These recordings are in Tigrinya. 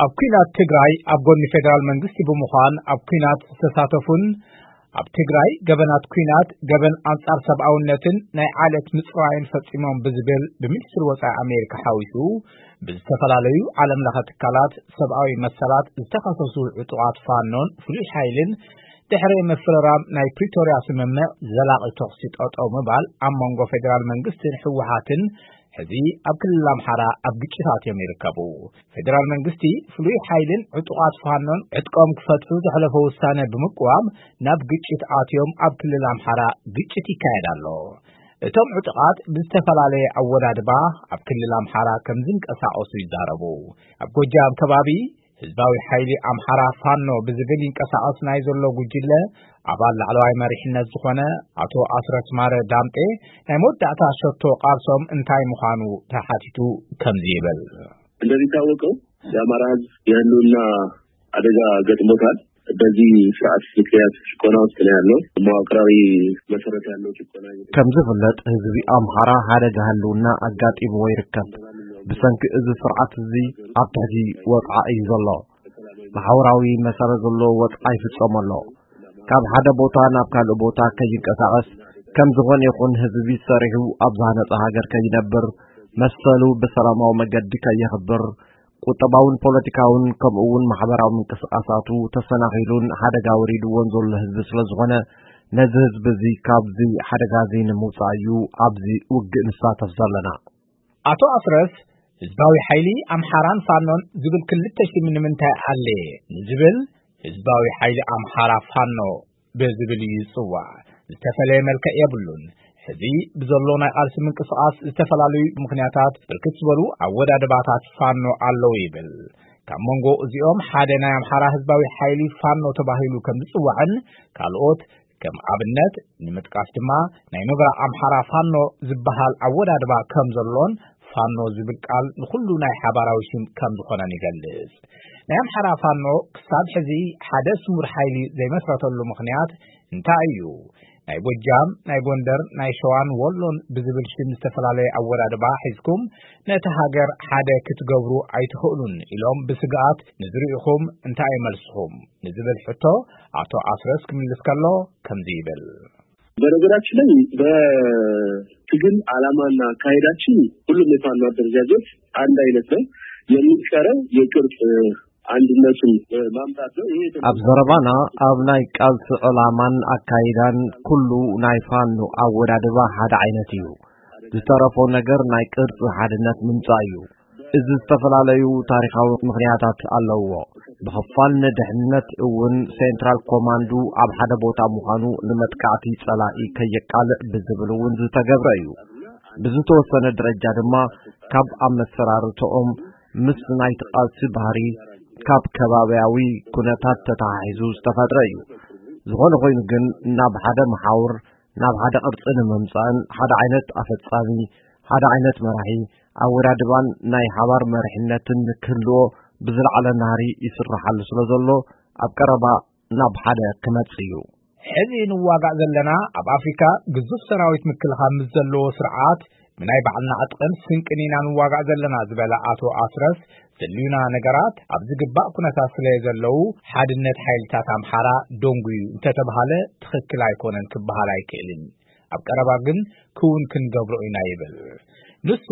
ኣብ ኲናት ትግራይ ኣብ ጎኒ ፌደራል መንግስቲ ብምዃን ኣብ ኲናት ዝተሳተፉን ኣብ ትግራይ ገበናት ኲናት፣ ገበን ኣንጻር ሰብኣውነትን ናይ ዓሌት ምጽራይን ፈጺሞም ብዝብል ብሚኒስትሪ ወጻኢ ኣሜሪካ ሓዊሱ ብዝተፈላለዩ ዓለም ለኸ ትካላት ሰብኣዊ መሰላት ዝተኸሰሱ ዕጡቓት ፋኖን ፍሉይ ሓይልን ድሕሪ ምፍርራም ናይ ፕሪቶርያ ስምምዕ ዘላቒ ተኹሲ ጠጠው ምባል ኣብ መንጎ ፌደራል መንግስትን ህወሓትን ሕዚ ኣብ ክልል ኣምሓራ ኣብ ግጭት ኣትዮም ይርከቡ። ፌደራል መንግስቲ ፍሉይ ሓይልን ዕጡቓት ፋኖን ዕጥቆም ክፈትሑ ዘሕለፎ ውሳነ ብምቅዋም ናብ ግጭት ኣትዮም ኣብ ክልል ኣምሓራ ግጭት ይካየድ ኣሎ። እቶም ዕጡቓት ብዝተፈላለየ ኣወዳድባ ኣብ ክልል ኣምሓራ ከም ዝንቀሳቐሱ ይዛረቡ። ኣብ ጎጃም ከባቢ ህዝባዊ ሓይሊ ኣምሓራ ፋኖ ብዝብል ይንቀሳቐስ ናይ ዘሎ ጉጅለ ኣባል ላዕለዋይ መሪሕነት ዝኾነ ኣቶ ኣስረስ ማረ ዳምጤ ናይ መወዳእታ ሸቶ ቃልሶም እንታይ ምዃኑ ተሓቲቱ ከምዚ ይብል። እንደሚታወቀው የአማራ ህዝብ የህልውና አደጋ ገጥሞታል። በዚህ ስርዓት ምክንያት ጭቆና ውስጥ ነው ያለው። መዋቅራዊ መሰረት ያለው ጭቆና። ከም ዝፍለጥ ህዝቢ ኣምሓራ ሓደጋ ህልውና ኣጋጢምዎ ይርከብ። ብሰንኪ እዚ ስርዓት እዚ ኣብ ትሕቲ ወፅዓ እዩ ዘሎ። ማሕበራዊ መሰረት ዘለዎ ወፅዓ ይፍፀሞ ኣሎ። ካብ ሓደ ቦታ ናብ ካልእ ቦታ ከይንቀሳቐስ፣ ከም ዝኾነ ይኹን ህዝቢ ሰሪሑ ኣብ ዝሃነፀ ሃገር ከይነብር፣ መሰሉ ብሰላማዊ መገዲ ከየኽብር፣ ቁጠባውን ፖለቲካውን ከምኡ እውን ማሕበራዊ ምንቅስቃሳቱ ተሰናኺሉን ሓደጋ ወሪድዎን ዘሎ ህዝቢ ስለ ዝኾነ፣ ነዚ ህዝቢ እዚ ካብዚ ሓደጋ እዚ ንምውፃእ እዩ ኣብዚ ውግእ ንሳተፍ ዘለና። ኣቶ ኣስረስ ህዝባዊ ሓይሊ ኣምሓራን ፋኖን ዝብል ክልተ ሽም ንምንታይ ኣለ ንዝብል፣ ህዝባዊ ሓይሊ ኣምሓራ ፋኖ ብዝብል እዩ ዝጽዋዕ። ዝተፈለየ መልክዕ የብሉን። ሕዚ ብዘሎ ናይ ቃልሲ ምንቅስቃስ ዝተፈላለዩ ምኽንያታት ብርክት ዝበሉ ኣወዳድባታት ፋኖ ኣለዉ ይብል። ካብ መንጎ እዚኦም ሓደ ናይ ኣምሓራ ህዝባዊ ሓይሊ ፋኖ ተባሂሉ ከም ዝጽዋዕን ካልኦት ከም ኣብነት ንምጥቃስ ድማ ናይ ኖብራ ኣምሓራ ፋኖ ዝበሃል ኣወዳድባ ከም ዘሎን ፋኖ ዝብል ቃል ንኹሉ ናይ ሓባራዊ ሽም ከም ዝኾነን ይገልጽ። ናይ ኣምሓራ ፋኖ ክሳብ ሕዚ ሓደ ስሙር ሓይሊ ዘይመስረተሉ ምኽንያት እንታይ እዩ? ናይ ጎጃም፣ ናይ ጎንደር፣ ናይ ሸዋን ወሎን ብዝብል ሽም ዝተፈላለየ ኣወዳድባ ሒዝኩም ነቲ ሃገር ሓደ ክትገብሩ ኣይትኽእሉን ኢሎም ብስግኣት ንዝርእኹም እንታይ እዩ መልስኹም ንዝብል ሕቶ ኣቶ ኣስረስ ክምልስ ከሎ ከምዚ ይብል። በነገራችን ላይ በትግል ዓላማና አካሄዳችን ሁሉም የፋኖ አደረጃጀት አንድ አይነት ነው። የሚቀረው የቅርጽ አንድነቱን ማምጣት ነው። ይሄ ኣብ ዘረባና ኣብ ናይ ቃልሲ ዕላማን ኣካይዳን ኩሉ ናይ ፋኖ ኣወዳድባ ሓደ ዓይነት እዩ። ዝተረፎ ነገር ናይ ቅርጺ ሓድነት ምምጻእ እዩ። እዚ ዝተፈላለዩ ታሪኻዊ ምኽንያታት ኣለውዎ። ብኽፋል ንድሕነት እውን ሴንትራል ኮማንዱ ኣብ ሓደ ቦታ ምዃኑ ንመጥቃዕቲ ጸላኢ ከየቃልዕ ብዝብል እውን ዝተገብረ እዩ። ብዝተወሰነ ደረጃ ድማ ካብ ኣመሰራርተኦም ምስ ናይቲ ቃልሲ ባህሪ ካብ ከባብያዊ ኩነታት ተተሓሒዙ ዝተፈጥረ እዩ። ዝኾነ ኮይኑ ግን ናብ ሓደ መሓውር ናብ ሓደ ቅርጺ ንምምጻእን ሓደ ዓይነት ኣፈጻሚ፣ ሓደ ዓይነት መራሒ፣ ኣወዳድባን ናይ ሓባር መሪሕነትን ንክህልዎ ብዝለዓለ ናህሪ ይስራሓሉ ስለ ዘሎ ኣብ ቀረባ ናብ ሓደ ክመጽእ እዩ። ሕዚ ንዋጋእ ዘለና ኣብ ኣፍሪካ ግዙፍ ሰራዊት ምክልኻል ምስ ዘለዎ ስርዓት ብናይ ባዕልና ዕጥቕን ስንቅን ኢና ንዋጋእ ዘለና ዝበለ ኣቶ ኣስረስ ዘልዩና ነገራት ኣብ ዝግባእ ኩነታት ስለ ዘለዉ ሓድነት ሓይልታት ኣምሓራ ደንጉዩ እንተተባሃለ ትኽክል ኣይኮነን ክበሃል ኣይክእልን። ኣብ ቀረባ ግን ክውን ክንገብሮ ኢና ይብል። ንሱ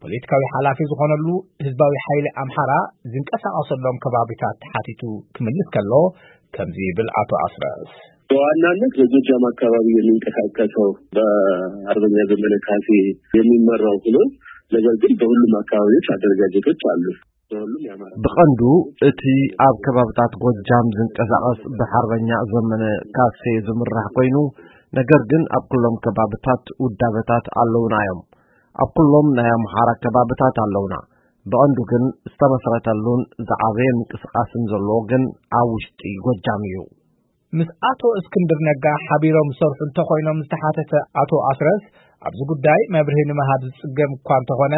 ፖለቲካዊ ሓላፊ ዝኾነሉ ህዝባዊ ሓይሊ ኣምሓራ ዝንቀሳቐሰሎም ከባቢታት ተሓቲቱ ክምልስ ከሎ ከምዚ ይብል ኣቶ ኣስረስ። በዋናነት በጎጃም አካባቢ የሚንቀሳቀሰው በአርበኛ ዘመነ ካሴ የሚመራው ሆኖ ነገር ግን በሁሉም አካባቢዎች አደረጃጀቶች አሉ። በሁሉም የአማራ ብቐንዱ እቲ ኣብ ከባብታት ጎጃም ዝንቀሳቐስ ብሓርበኛ ዘመነ ካሴ ዝምራሕ ኮይኑ፣ ነገር ግን ኣብ ኩሎም ከባብታት ውዳበታት ኣለውና እዮም። ኣብ ኩሎም ናይ ኣምሓራ ከባብታት ኣለውና። ብቐንዱ ግን ዝተመስረተሉን ዝዓበየ ምንቅስቃስን ዘለዎ ግን ኣብ ውሽጢ ጎጃም እዩ። ምስ ኣቶ እስክንድር ነጋ ሓቢሮም ዝሰርሑ እንተኾይኖም ዝተሓተተ ኣቶ ኣስረስ ኣብዚ ጉዳይ መብርሂ ንምሃብ ዝጽገም እኳ እንተኾነ፣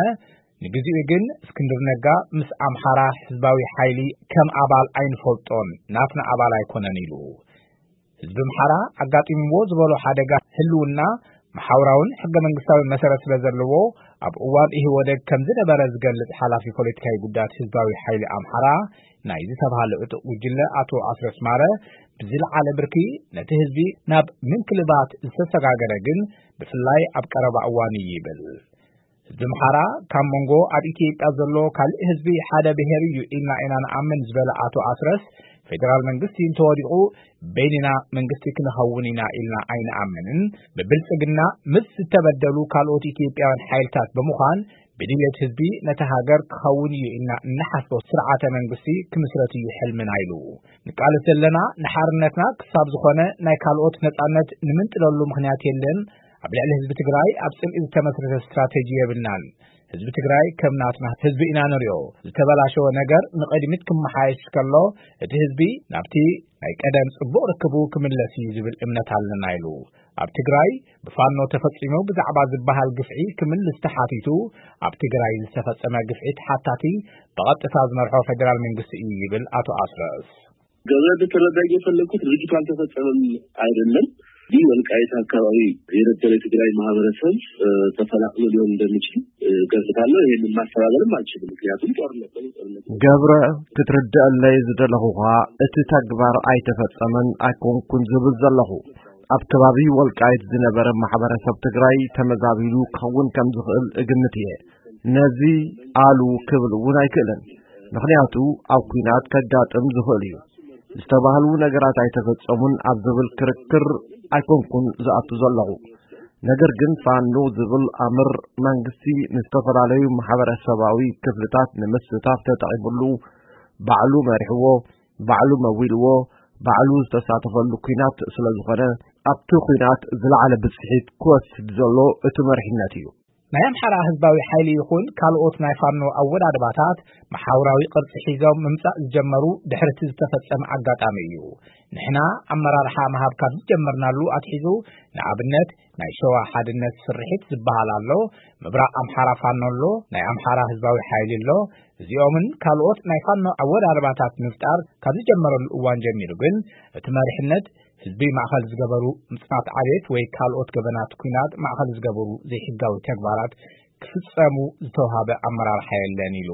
ንግዚኡ ግን እስክንድር ነጋ ምስ ኣምሓራ ህዝባዊ ሓይሊ ከም ኣባል ኣይንፈልጦን፣ ናትና ኣባል ኣይኮነን ኢሉ። ህዝቢ ኣምሓራ ኣጋጢምዎ ዝበሎ ሓደጋ ህልውና መሓውራውን ሕገ መንግስታዊ መሰረት ስለ ዘለዎ ኣብ እዋን ኢህወደግ ከም ዝነበረ ዝገልጽ ሓላፊ ፖለቲካዊ ጉዳያት ህዝባዊ ሓይሊ ኣምሓራ ናይ ዝተባህለ ዕጡቕ ጉጅለ ኣቶ ኣስረስ ማረ፣ ብዝለዓለ ብርኪ ነቲ ህዝቢ ናብ ምንክልባት ዝተሰጋገረ ግን ብፍላይ ኣብ ቀረባ እዋን እዩ ይብል። ህዝቢ ኣምሓራ ካብ መንጎ ኣብ ኢትዮጵያ ዘሎ ካልእ ህዝቢ ሓደ ብሔር እዩ ኢልና ኢና ንኣምን ዝበለ ኣቶ ኣስረስ፣ ፌደራል መንግስቲ እንተወዲቑ በይንና መንግስቲ ክንኸውን ኢና ኢልና ኣይንኣምንን። ብብልጽግና ምስ ዝተበደሉ ካልኦት ኢትዮጵያውያን ሓይልታት ብምዃን ብድልየት ህዝቢ ነቲ ሃገር ክኸውን እዩ ኢልና እንሓስቦ ስርዓተ መንግስቲ ክምስረት እዩ ሕልምና ኢሉ። ንቃለስ ዘለና ንሓርነትና ክሳብ ዝኾነ ናይ ካልኦት ነጻነት ንምንጥለሉ ምኽንያት የለን። ኣብ ልዕሊ ህዝቢ ትግራይ ኣብ ጽልኢ ዝተመስረተ ስትራተጂ የብልናን። ህዝቢ ትግራይ ከም ናትና ህዝቢ ኢና ንሪኦ። ዝተበላሸወ ነገር ንቕድሚት ክመሓየሽ ከሎ እቲ ህዝቢ ናብቲ ናይ ቀደም ጽቡቕ ርክቡ ክምለስ እዩ ዝብል እምነት ኣለና ኢሉ። ኣብ ትግራይ ብፋኖ ተፈጺሙ ብዛዕባ ዝበሃል ግፍዒ ክምልስ ተሓቲቱ፣ ኣብ ትግራይ ዝተፈጸመ ግፍዒ ተሓታቲ ብቐጥታ ዝመርሖ ፌደራል መንግስቲ እዩ ይብል ኣቶ ኣስረስ። ገብረ፣ እንድትረዳኝ የፈለግኩት ድርጊቱ አልተፈጸመም አይደለም። ይህ ወልቃይት አካባቢ የነበረ የትግራይ ማህበረሰብ ተፈናቅሎ ሊሆን እንደሚችል ገምታለሁ። ይህንን ማስተባበልም አልችልም፣ ምክንያቱም ጦርነት ነው። ጦርነት ገብረ፣ ክትርድአለይ ዝደለኹኻ፣ እቲ ተግባር ኣይተፈጸመን ኣይኮንኩን ዝብል ዘለኹ። ኣብ ከባቢ ወልቃይት ዝነበረ ማሕበረሰብ ትግራይ ተመዛቢሉ ክኸውን ከም ዝኽእል እግምት እየ። ነዚ ኣሉ ክብል እውን ኣይክእልን፣ ምኽንያቱ ኣብ ኲናት ከጋጥም ዝኽእል እዩ። ዝተባህሉ ነገራት ኣይተፈጸሙን ኣብ ዝብል ክርክር ኣይኮንኩን ዝኣቱ ዘለኹ። ነገር ግን ፋኖ ዝብል ኣምር መንግስቲ ንዝተፈላለዩ ማሕበረሰባዊ ክፍልታት ንምስታፍ ተጠቒምሉ፣ ባዕሉ መሪሕዎ፣ ባዕሉ መዊልዎ፣ ባዕሉ ዝተሳተፈሉ ኲናት ስለ ዝኾነ፣ ኣብቲ ኲናት ዝለዓለ ብፅሒት ክወስድ ዘሎ እቲ መሪሕነት እዩ። ናይ ኣምሓራ ህዝባዊ ሓይሊ ይኹን ካልኦት ናይ ፋኖ ኣወዳድባታት መሓውራዊ ቅርጺ ሒዞም ምምጻእ ዝጀመሩ ድሕርቲ ዝተፈጸመ ኣጋጣሚ እዩ። ንሕና ኣመራርሓ ምሃብ ካብ ዝጀመርናሉ ኣትሒዙ፣ ንኣብነት ናይ ሸዋ ሓድነት ስርሒት ዝበሃል ኣሎ፣ ምብራቕ ኣምሓራ ፋኖ ኣሎ፣ ናይ ኣምሓራ ህዝባዊ ሓይሊ ኣሎ። እዚኦምን ካልኦት ናይ ፋኖ ኣወዳድባታት ምፍጣር ካብ ዝጀመረሉ እዋን ጀሚሩ ግን፣ እቲ መሪሕነት ህዝቢ ማእኸል ዝገበሩ ምጽናት ዓሌት ወይ ካልኦት ገበናት ኲናት ማእኸል ዝገበሩ ዘይሕጋዊ ተግባራት ክፍጸሙ ዝተውሃበ ኣመራርሓ የለን ኢሉ።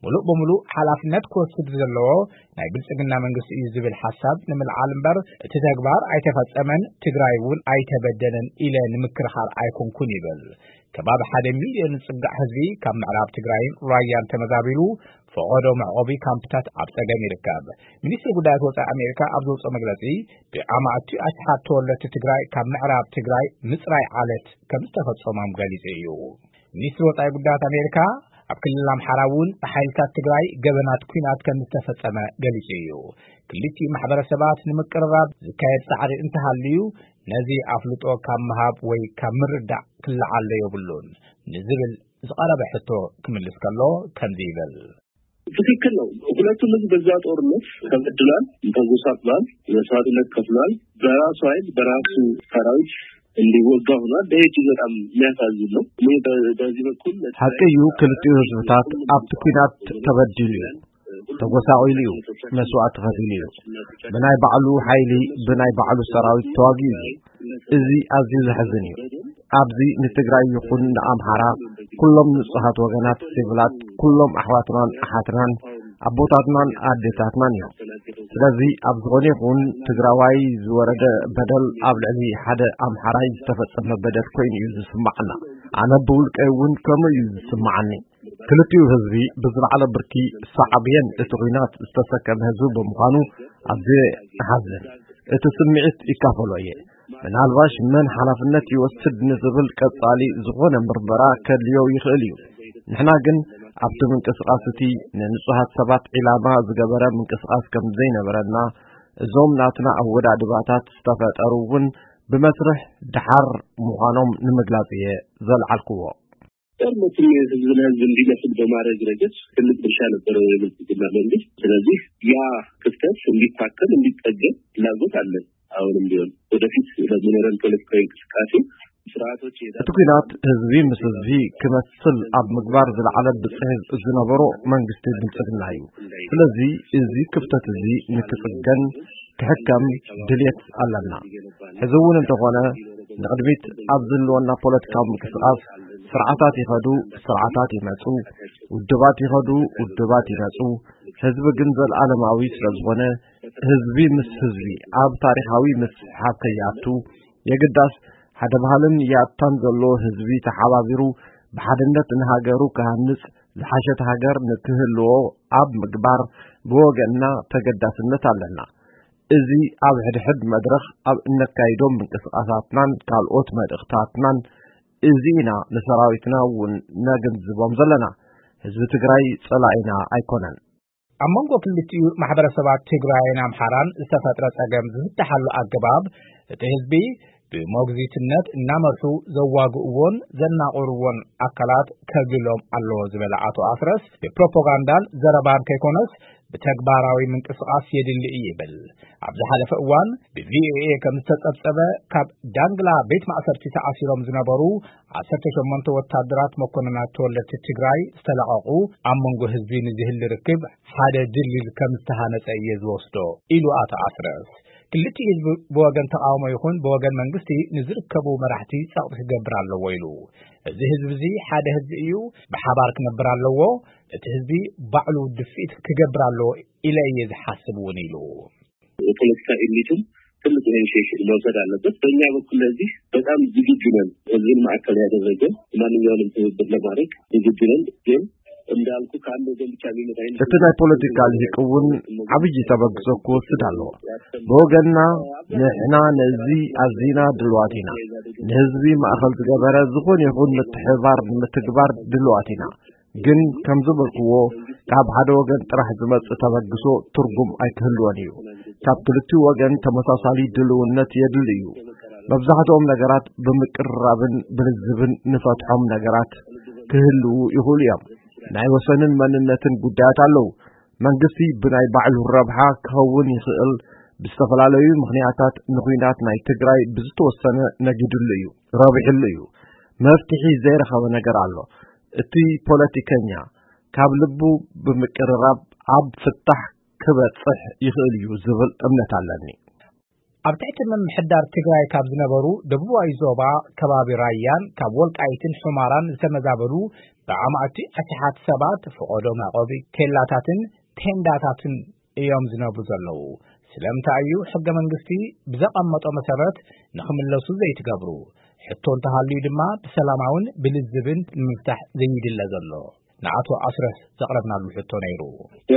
ሙሉእ ብሙሉእ ሓላፍነት ክወስድ ዘለዎ ናይ ብልጽግና መንግስቲ እዩ ዝብል ሓሳብ ንምልዓል እምበር፣ እቲ ተግባር ኣይተፈጸመን፣ ትግራይ እውን ኣይተበደለን ኢለ ንምክርኻር ኣይኮንኩን ይብል። ከባቢ ሓደ ሚልዮን ዝጽጋዕ ህዝቢ ካብ ምዕራብ ትግራይን ራያን ተመዛቢሉ፣ ፈቐዶ መዕቆቢ ካምፕታት ኣብ ጸገም ይርከብ። ሚኒስትሪ ጉዳያት ወጻኢ ኣሜሪካ ኣብ ዘውጽኦ መግለጺ፣ ብኣማእቲ ኣሽሓት ተወለድቲ ትግራይ ካብ ምዕራብ ትግራይ ምጽራይ ዓለት ከም ዝተፈጸሞም ገሊጹ እዩ። ሚኒስትሪ ወጻኢ ጉዳያት ኣሜሪካ፣ ኣብ ክልል ኣምሓራ እውን ብሓይልታት ትግራይ ገበናት ኲናት ከም ዝተፈጸመ ገሊጹ እዩ። ክልቲኡ ማሕበረሰባት ንምቅርራብ ዝካየድ ጻዕሪ እንተሃልዩ፣ ነዚ ኣፍልጦ ካብ ምሃብ ወይ ካብ ምርዳእ ክለዓሎ የብሉን ንዝብል ዝቐረበ ሕቶ ክምልስ ከሎ ከምዚ ይብል። ትክክል ነው። ሁለቱም ህዝብ በዛ ጦርነት ተበድሏል፣ ተጎሳቅሏል፣ መስዋዕትነት ከፍሏል። በራሱ ኃይል በራሱ ሰራዊት እንዲወጋ ሆኗል። ይሄ እጅግ በጣም የሚያሳዝን ነው። እኔ በ-፣ በዚህ በኩል ሓቂ እዩ፣ ክልቲኡ ህዝብታት ኣብቲ ኲናት ተበዲሉ እዩ፣ ተጎሳቒሉ እዩ፣ መስዋእቲ ከፊሉ እዩ። ብናይ ባዕሉ ሓይሊ፣ ብናይ ባዕሉ ሰራዊት ተዋጊኡ እዩ። እዚ ኣዝዩ ዘሕዝን እዩ። ኣብዚ ንትግራይ ይኹን ንኣምሓራ፣ ኩሎም ንጹሃት ወገናት፣ ሲቪላት፣ ኩሎም ኣሕዋትናን ኣሓትናን፣ ኣቦታትናን ኣዴታትናን እዮም። ስለዚ ኣብ ዝኾነ ይኹን ትግራዋይ ዝወረደ በደል ኣብ ልዕሊ ሓደ ኣምሓራይ ዝተፈጸመ በደል ኮይኑ እዩ ዝስማዓና። ኣነ ብውልቀይ እውን ከምኡ እዩ ዝስማዓኒ። ክልቲኡ ህዝቢ ብዝለዓለ ብርኪ ሳዕቤን እቲ ኲናት ዝተሰከመ ህዝቢ ብምዃኑ ኣዝየ እሓዝን። እቲ ስምዒት ይካፈሎ እየ። ምናልባሽ መን ሓላፍነት ይወስድ ንዝብል ቀጻሊ ዝኾነ ምርመራ ከድልዮ ይኽእል እዩ። ንሕና ግን ኣብቲ ምንቅስቓስ እቲ ንንጹሃት ሰባት ዒላማ ዝገበረ ምንቅስቓስ ከም ዘይነበረና፣ እዞም ናትና ኣወዳድባታት ዝተፈጠሩ እውን ብመስርሕ ደሓር ምዃኖም ንምግላጽ እየ ዘልዓልክዎ። ጦርነትን ህዝብ ለህዝብ እንዲመስል በማድረግ ረገድ ትልቅ ድርሻ ነበረው የብልጽግና መንግስት። ስለዚህ ያ ክፍተት እንዲታከም፣ እንዲጠገን ፍላጎት አለን። አሁንም ቢሆን ወደፊት ለሚኖረን ፖለቲካዊ እንቅስቃሴ ስርዓቶች የዳ- እቲ ኲናት ህዝቢ ምስ ህዝቢ ክመስል ኣብ ምግባር ዝለዓለ ብጽሒት ዝነበሮ መንግስቲ ብልጽግና እዩ። ስለዚ እዚ ክፍተት እዚ ንክጽገን ክሕከም ድልየት ኣለና። ሕዚ እውን እንተኾነ ንቕድሚት ኣብ ዝህልወና ፖለቲካዊ ምንቅስቓስ ስርዓታት ይኸዱ፣ ስርዓታት ይመጹ፣ ውድባት ይኸዱ፣ ውድባት ይመጹ። ህዝቢ ግን ዘልኣለማዊ ስለ ዝኾነ፣ ህዝቢ ምስ ህዝቢ ኣብ ታሪኻዊ ምስሕሓብ ከይኣቱ፣ የግዳስ ሓደ ባህልን ያታን ዘሎ ህዝቢ ተሓባቢሩ ብሓድነት ንሃገሩ ክሃንጽ፣ ዝሓሸት ሃገር ንክህልዎ ኣብ ምግባር ብወገንና ተገዳስነት ኣለና። እዚ ኣብ ሕድሕድ መድረኽ ኣብ እነካይዶም ምንቅስቓሳትናን ካልኦት መልእኽታትናን እዚ ኢና ንሰራዊትና እውን ነግንዝቦም ዘለና። ህዝቢ ትግራይ ጸላኢና ኣይኮነን። ኣብ መንጎ ክልቲኡ ማሕበረሰባት ትግራይን ኣምሓራን ዝተፈጥረ ጸገም ዝፍትሓሉ ኣገባብ እቲ ህዝቢ ብሞግዚትነት እናመርሑ ዘዋግእዎን ዘናቑርዎን ኣካላት ከግሎም ኣለዎ ዝበለ ኣቶ ኣስረስ፣ ብፕሮፓጋንዳን ዘረባን ከይኮነስ ብተግባራዊ ምንቅስቓስ የድሊ እዩ ይብል። ኣብ ዝሓለፈ እዋን ብቪኦኤ ከም ዝተጸብጸበ፣ ካብ ዳንግላ ቤት ማእሰርቲ ተኣሲሮም ዝነበሩ ዓሰርተ ሸሞንተ ወታደራት መኮንናት ተወለድቲ ትግራይ ዝተለቐቑ፣ ኣብ መንጎ ህዝቢ ንዝህሊ ርክብ ሓደ ድልድል ከም ዝተሃነጸ እየ ዝወስዶ ኢሉ ኣቶ ኣስረስ። ክልቲኡ ህዝቢ ብወገን ተቓውሞ ይኹን ብወገን መንግስቲ ንዝርከቡ መራሕቲ ጸቕጢ ክገብር ኣለዎ ኢሉ። እዚ ህዝቢ እዚ ሓደ ህዝቢ እዩ፣ ብሓባር ክነብር ኣለዎ። እቲ ህዝቢ ባዕሉ ድፍኢት ክገብር ኣለዎ ኢለ እየ ዝሓስብ እውን ኢሉ። የፖለቲካ ኤሊቱን ትልቅ ኢኒሺዬሽን መውሰድ አለበት። በእኛ በኩል ለዚህ በጣም ዝግጁ ነን። ህዝብን ማዕከል ያደረገ ማንኛውንም ትብብር ለማድረግ ዝግጁ ነን። ግን እንዳልኩ ከአንድ ወገን ብቻ የሚመጣ አይነት እቲ ናይ ፖለቲካ ልሂቅ እውን ዓብዪ ተበግሶ ክወስድ ኣለዎ። ብወገንና ንሕና ነዚ ኣዚና ድልዋት ኢና። ንህዝቢ ማእኸል ዝገበረ ዝኾነ ይኹን ምትሕብባር ንምትግባር ድልዋት ኢና። ግን ከም ዝበልክዎ ካብ ሓደ ወገን ጥራሕ ዝመጽእ ተበግሶ ትርጉም ኣይክህልዎን እዩ። ካብ ክልቲኡ ወገን ተመሳሳሊ ድልውነት የድሊ እዩ። መብዛሕትኦም ነገራት ብምቅርራብን ብልዝብን ንፈትሖም ነገራት ክህልዉ ይኽእሉ እዮም። ናይ ወሰንን መንነትን ጉዳያት ኣለዉ። መንግስቲ ብናይ ባዕሉ ረብሓ ክኸውን ይኽእል፣ ብዝተፈላለዩ ምኽንያታት ንኹናት ናይ ትግራይ ብዝተወሰነ ነጊድሉ እዩ፣ ረቢሕሉ እዩ። መፍትሒ ዘይረኸበ ነገር ኣሎ። እቲ ፖለቲከኛ ካብ ልቡ ብምቅርራብ ኣብ ፍታሕ ክበጽሕ ይኽእል እዩ ዝብል እምነት ኣለኒ። ኣብ ትሕቲ ምምሕዳር ትግራይ ካብ ዝነበሩ ደቡባዊ ዞባ ከባቢ ራያን ካብ ወልቃይትን ሑመራን ዝተመዛበሉ ብኣማእቲ ኣሽሓት ሰባት ፈቐዶ መዕቆቢ ኬላታትን ቴንዳታትን እዮም ዝነብሩ ዘለዉ። ስለምንታይ እዩ ሕገ መንግስቲ ብዘቐመጦ መሰረት ንኽምለሱ ዘይትገብሩ? ሕቶ እንተሃልዩ ድማ ብሰላማውን ብልዝብን ንምፍታሕ ዘይድለ ዘሎ? ንኣቶ ኣስረስ ዘቕረብናሉ ሕቶ ነይሩ።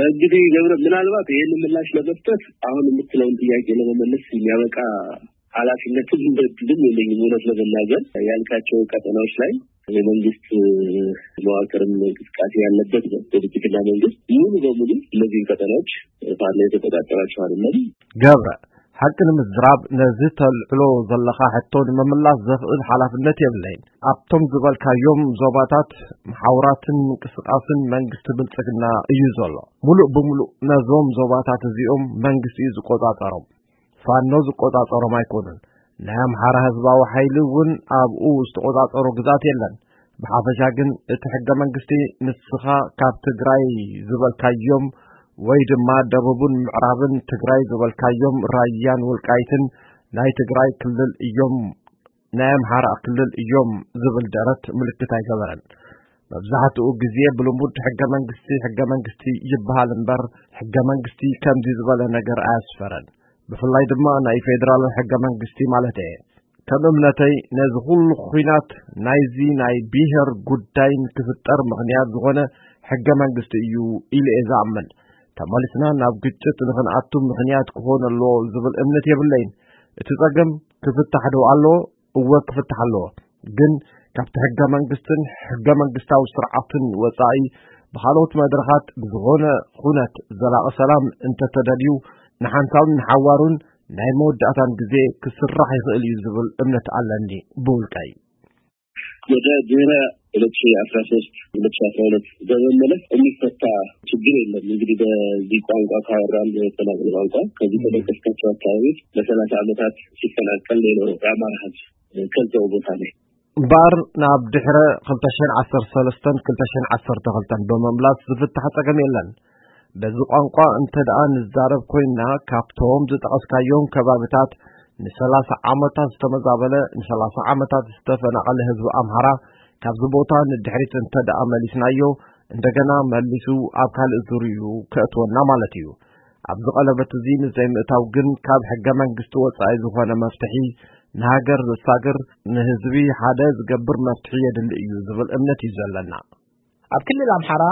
እንግዲህ ገብረ፣ ምናልባት ይህን ምላሽ ለመስጠት አሁን የምትለውን ጥያቄ ለመመለስ የሚያበቃ ኃላፊነትም እድልም የለኝም። እውነት ለመናገር ያልካቸው ቀጠናዎች ላይ የመንግስት መዋቅርም እንቅስቃሴ ያለበት ነው። ድርጅትና መንግስት ሙሉ በሙሉ እነዚህን ቀጠናዎች ፋኖ የተቆጣጠራቸው አይደለም። ገብረ፣ ሓቂ ንምዝራብ ነዚ ተልዕሎ ዘለኻ ሕቶ ንምምላስ ዘኽእል ሓላፍነት የብለይን። ኣብቶም ዝበልካዮም ዞባታት መሓውራትን ምንቅስቃስን መንግስቲ ብልጽግና እዩ ዘሎ። ሙሉእ ብሙሉእ ነዞም ዞባታት እዚኦም መንግስቲ እዩ ዝቆጻጸሮም። ፋኖ ዝቆጻጸሮም ኣይኮኑን። ናይ ኣምሓራ ህዝባዊ ሓይሊ እውን ኣብኡ ዝተቆጻጸሮ ግዛት የለን። ብሓፈሻ ግን እቲ ሕገ መንግስቲ ንስኻ ካብ ትግራይ ዝበልካዮም ወይ ድማ ደቡብን ምዕራብን ትግራይ ዝበልካዮም ራያን ወልቃይትን ናይ ትግራይ ክልል እዮም፣ ናይ ኣምሓራ ክልል እዮም ዝብል ደረት ምልክት ኣይገበረን። መብዛሕትኡ ግዜ ብልሙድ ሕገ መንግስቲ፣ ሕገ መንግስቲ ይበሃል እምበር፣ ሕገ መንግስቲ ከምዚ ዝበለ ነገር ኣያስፈረን። ብፍላይ ድማ ናይ ፌደራል ሕገ መንግስቲ ማለት እየ። ከም እምነተይ ነዚ ኩሉ ኹናት ናይዚ ናይ ብሄር ጉዳይን ክፍጠር ምኽንያት ዝኾነ ሕገ መንግስቲ እዩ ኢለ እየ ዝኣምን። ተመሊስና ናብ ግጭት ንኽንኣቱ ምኽንያት ክኾን ኣለዎ ዝብል እምነት የብለይን። እቲ ጸገም ክፍታሕ ዶ ኣለዎ? እወ ክፍታሕ ኣለዎ። ግን ካብቲ ሕገ መንግስትን ሕገ መንግስታዊ ስርዓትን ወጻኢ ብኻልኦት መድረኻት ብዝኾነ ኩነት ዘላቒ ሰላም እንተተደልዩ ንሓንሳብን ንሓዋሩን ናይ መወዳእታን ግዜ ክስራሕ ይኽእል እዩ ዝብል እምነት ኣለኒ ብውልቀይ። ወደ ድህረ ሁለት ሺ አስራ ሶስት ሁለት ሺ አስራ ሁለት በመመለስ የሚፈታ ችግር የለም። እንግዲህ በዚህ ቋንቋ ካወራን፣ በተናጠል ቋንቋ ከዚህ በጠቀስካቸው አካባቢዎች ለሰላሳ ዓመታት ሲፈናቀል የኖረው የአማራ ህዝብ ከዚያው ቦታ ላይ እምበኣር ናብ ድሕረ ክልተ ሽሕን ዓሰርተ ሰለስተን ክልተ ሽሕን ዓሰርተ ክልተን ብምምላስ ዝፍታሕ ጸገም የለን። በዚ ቋንቋ እንተ ደኣ ንዛረብ ኮይንና፣ ካብቶም ዝጠቐስካዮም ከባብታት ንሰላሳ ዓመታት ዝተመዛበለ፣ ንሰላሳ ዓመታት ዝተፈናቐለ ህዝቢ ኣምሓራ ካብዚ ቦታ ንድሕሪት እንተ ደኣ መሊስናዮ፣ እንደገና መሊሱ ኣብ ካልእ ዙርኡ ከእትወና ማለት እዩ። ኣብዚ ቀለበት እዚ ንዘይምእታው ግን ካብ ሕገ መንግስቲ ወጻኢ ዝኾነ መፍትሒ፣ ንሃገር ዘሳግር፣ ንህዝቢ ሓደ ዝገብር መፍትሒ የድሊ እዩ ዝብል እምነት እዩ ዘለና። ኣብ ክልል ኣምሓራ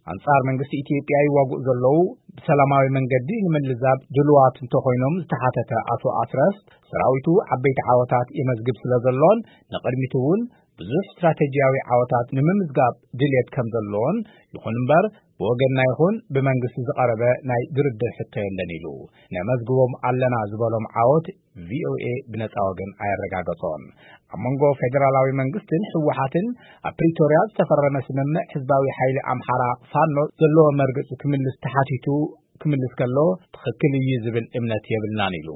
ኣንጻር መንግስቲ ኢትዮጵያ ይዋግኡ ዘለዉ ብሰላማዊ መንገዲ ንምልዛብ ድልዋት እንተኾይኖም ዝተሓተተ ኣቶ ኣስረስ፣ ሰራዊቱ ዓበይቲ ዓወታት የመዝግብ ስለ ዘሎን ንቕድሚት እውን ብዙሕ ስትራቴጂያዊ ዓወታት ንምምዝጋብ ድልየት ከም ዘሎን፣ ይኹን እምበር ብወገንና ይኹን ብመንግስቲ ዝቐረበ ናይ ድርድር ሕቶ የለን ኢሉ። ነመዝግቦም ኣለና ዝበሎም ዓወት ቪኦኤ ብነጻ ወገን ኣየረጋገጾን። ኣብ መንጎ ፌደራላዊ መንግስትን ህወሓትን ኣብ ፕሪቶርያ ዝተፈረመ ስምምዕ ህዝባዊ ሓይሊ ኣምሓራ ፋኖ ዘለዎ መርገጺ ክምልስ ተሓቲቱ ክምልስ ከሎ ትኽክል እዩ ዝብል እምነት የብልናን ኢሉ።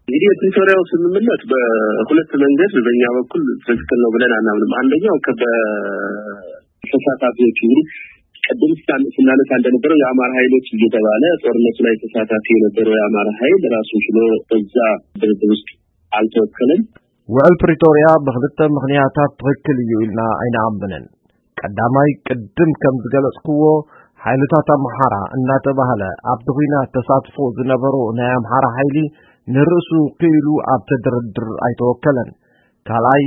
እንግዲህ የፕሪቶሪያው ስምምነት በሁለት መንገድ በእኛ በኩል ትክክል ነው ብለን አናምንም። አንደኛው ከ- በተሳታፊዎች እንግዲህ ቅድም ስታን- ስናነሳ እንደነበረው የአማራ ኃይሎች እየተባለ ጦርነቱ ላይ ተሳታፊ የነበረው የአማራ ኃይል ራሱን ችሎ በዛ ድርድር ውስጥ አልተወከለም። ውዕል ፕሪቶርያ ብኽልተ ምኽንያታት ትኽክል እዩ ኢልና ኣይንኣምንን። ቀዳማይ፣ ቅድም ከም ዝገለጽክዎ፣ ሓይልታት ኣምሓራ እናተባህለ ኣብቲ ኲናት ተሳትፎ ዝነበሮ ናይ ኣምሓራ ሓይሊ ንርእሱ ክኢሉ ኣብቲ ድርድር ኣይተወከለን። ካልኣይ፣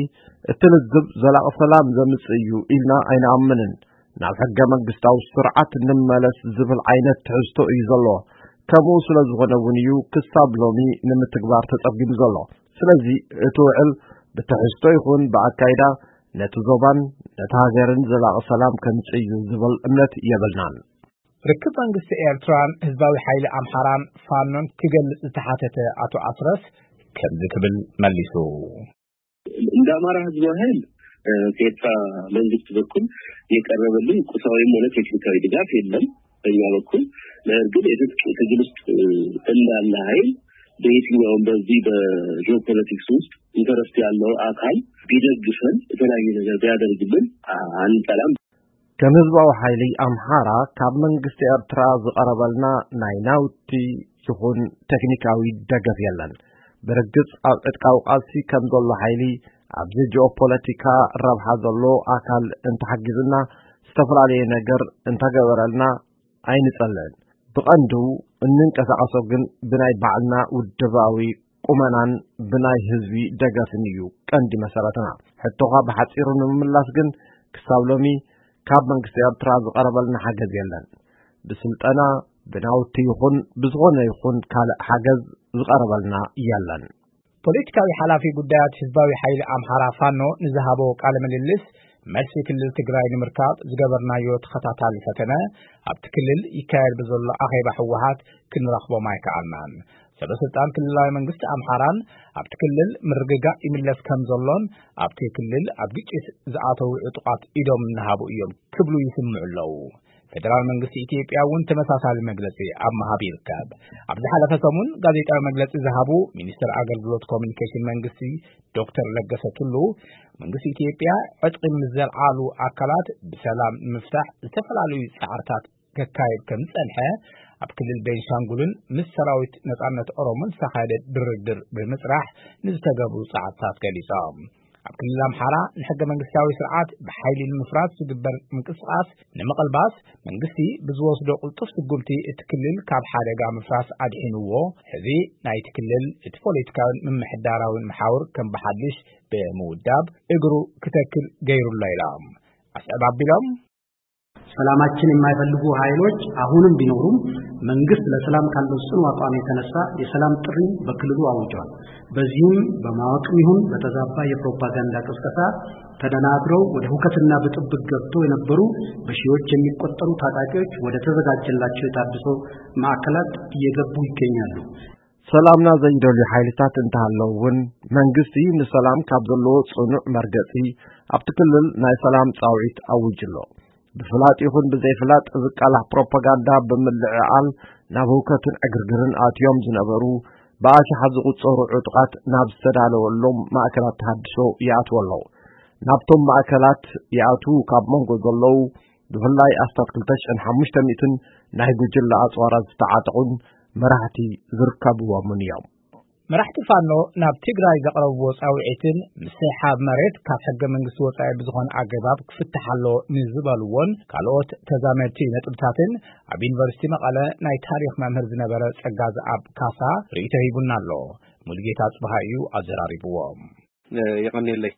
እቲ ልዝብ ዘላቒ ሰላም ዘምጽእ እዩ ኢልና ኣይንኣምንን። ናብ ሕገ መንግስታዊ ስርዓት ንመለስ ዝብል ዓይነት ትሕዝቶ እዩ ዘለዎ። ከምኡ ስለ ዝኾነ እውን እዩ ክሳብ ሎሚ ንምትግባር ተጸጊሙ ዘሎ። ስለዚ እቲ ውዕል ብትሕዝቶ ይኹን ብኣካይዳ ነቲ ዞባን ነቲ ሃገርን ዘላቒ ሰላም ከምጽእ እዩ ዝብል እምነት የብልናን። ርክብ መንግስቲ ኤርትራን ህዝባዊ ሓይሊ ኣምሓራን ፋኖን ክገልጽ ዝተሓተተ ኣቶ ኣስረስ ከምዚ ክብል መሊሱ። እንደ አማራ ህዝባዊ ኃይል ከኤርትራ መንግስት በኩል የቀረበልን ቁሳዊም ሆነ ቴክኒካዊ ድጋፍ የለም በኛ በኩል። ነገር ግን የትጥቅ ትግል ውስጥ እንዳለ ኃይል በየትኛውም በዚህ በጂኦፖለቲክስ ውስጥ ኢንተረስት ያለው አካል ቢደግፈን የተለያየ ነገር ቢያደርግልን አንጠላም። ከም ህዝባዊ ሓይሊ ኣምሓራ ካብ መንግስቲ ኤርትራ ዝቐረበልና ናይ ናውቲ ይኹን ቴክኒካዊ ደገፍ የለን። ብርግጽ ኣብ ዕጥቃዊ ቃልሲ ከም ዘሎ ሓይሊ ኣብዚ ጂኦፖለቲካ ረብሓ ዘሎ ኣካል እንተሓጊዝና፣ ዝተፈላለየ ነገር እንተገበረልና ኣይንጸልእን። ብቐንዱ እንንቀሳቐሶ ግን ብናይ ባዕልና ውድባዊ ቁመናን ብናይ ህዝቢ ደገፍን እዩ ቀንዲ መሰረትና። ሕቶኻ ብሓጺሩ ንምምላስ ግን ክሳብ ሎሚ ካብ መንግስቲ ኤርትራ ዝቐረበልና ሓገዝ የለን። ብስልጠና፣ ብናውቲ ይኹን ብዝኾነ ይኹን ካልእ ሓገዝ ዝቐረበልና የለን። ፖለቲካዊ ሓላፊ ጉዳያት ህዝባዊ ሓይሊ ኣምሓራ ፋኖ ንዝሃቦ ቃለ ምልልስ፣ መልሲ ክልል ትግራይ ንምርካብ ዝገበርናዮ ተኸታታሊ ፈተነ ኣብቲ ክልል ይካየድ ብዘሎ ኣኼባ ህወሓት ክንረኽቦም ኣይከኣልናን። ሰበ ስልጣን ክልላዊ መንግስቲ ኣምሓራን ኣብቲ ክልል ምርግጋእ ይምለስ ከም ዘሎን ኣብቲ ክልል ኣብ ግጭት ዝኣተዉ ዕጡቓት ኢዶም እናሃቡ እዮም ክብሉ ይስምዑ ኣለዉ። ፌደራል መንግስቲ ኢትዮጵያ እውን ተመሳሳሊ መግለጺ ኣብ ምሃብ ይርከብ። ኣብ ዝሓለፈ ሰሙን ጋዜጣዊ መግለጺ ዝሃቡ ሚኒስትር ኣገልግሎት ኮሚኒኬሽን መንግስቲ ዶክተር ለገሰ ቱሉ፣ መንግስቲ ኢትዮጵያ ዕጥቂ ምስ ዘልዓሉ ኣካላት ብሰላም ንምፍታሕ ዝተፈላለዩ ጻዕርታት ከካየድ ከም ዝጸንሐ፣ ኣብ ክልል ቤንሻንጉልን ምስ ሰራዊት ነጻነት ኦሮሞን ዝተኻየደ ድርድር ብምጽራሕ ንዝተገብሩ ጻዕርታት ገሊጾም። ኣብ ክልል ኣምሓራ ንሕገ መንግስታዊ ስርዓት ብሓይሊ ንምፍራስ ዝግበር ምንቅስቃስ ንምቕልባስ መንግስቲ ብዝወስዶ ቅልጡፍ ስጉምቲ እቲ ክልል ካብ ሓደጋ ምፍራስ ኣድሒንዎ፣ ሕዚ ናይቲ ክልል እቲ ፖለቲካዊን ምምሕዳራዊን መሓውር ከም ብሓድሽ ብምውዳብ እግሩ ክተክል ገይሩሎ ኢሎም ኣስዕብ ኣቢሎም። ሰላማችን የማይፈልጉ ኃይሎች አሁንም ቢኖሩም መንግስት ለሰላም ካለው ጽኑ አቋም የተነሳ የሰላም ጥሪ በክልሉ አውጀዋል። በዚህም በማወቅም ይሁን በተዛባ የፕሮፓጋንዳ ቅስቀሳ ተደናግረው ወደ ሁከትና ብጥብቅ ገብተው የነበሩ በሺዎች የሚቆጠሩ ታጣቂዎች ወደ ተዘጋጀላቸው የታድሶ ማዕከላት እየገቡ ይገኛሉ። ሰላምና ዘይደልዩ ሓይልታት እንተሃለዉ እውን መንግስቲ ንሰላም ካብ ዘለዎ ጽኑዕ መርገጺ ኣብቲ ክልል ናይ ሰላም ጻውዒት ኣዊጁ ኣሎ። ብፍላጥ ይኹን ብዘይፍላጥ ዝቃላሕ ፕሮፓጋንዳ ብምልዕዓል ናብ ህውከትን ዕግርግርን ኣትዮም ዝነበሩ ብኣሽሓት ዝቑጸሩ ዕጡቓት ናብ ዝተዳለወሎም ማእከላት ተሃድሶ ይኣትዉ ኣለዉ። ናብቶም ማእከላት ይኣትዉ ካብ መንጎ ዘለዉ ብፍላይ ኣስታት ክልተ ሽሕን ሓሙሽተ ሚእትን ናይ ጉጅለ ኣጽዋራት ዝተዓጠቑን መራሕቲ ዝርከብዎምን እዮም። መራሕቲ ፋኖ ናብ ትግራይ ዘቕረብዎ ጻውዒትን ምስሕሓብ መሬት ካብ ሕገ መንግስቲ ወጻኢ ብዝኾነ ኣገባብ ክፍትሕ ኣሎ ንዝበልዎን ካልኦት ተዛመድቲ ነጥብታትን ኣብ ዩኒቨርሲቲ መቐለ ናይ ታሪኽ መምህር ዝነበረ ጸጋዝኣብ ካሳ ርእይቶ ሂቡና ኣሎ። ሙሉጌታ ጽብሃ እዩ ኣዘራሪብዎም። የቐንየለይ።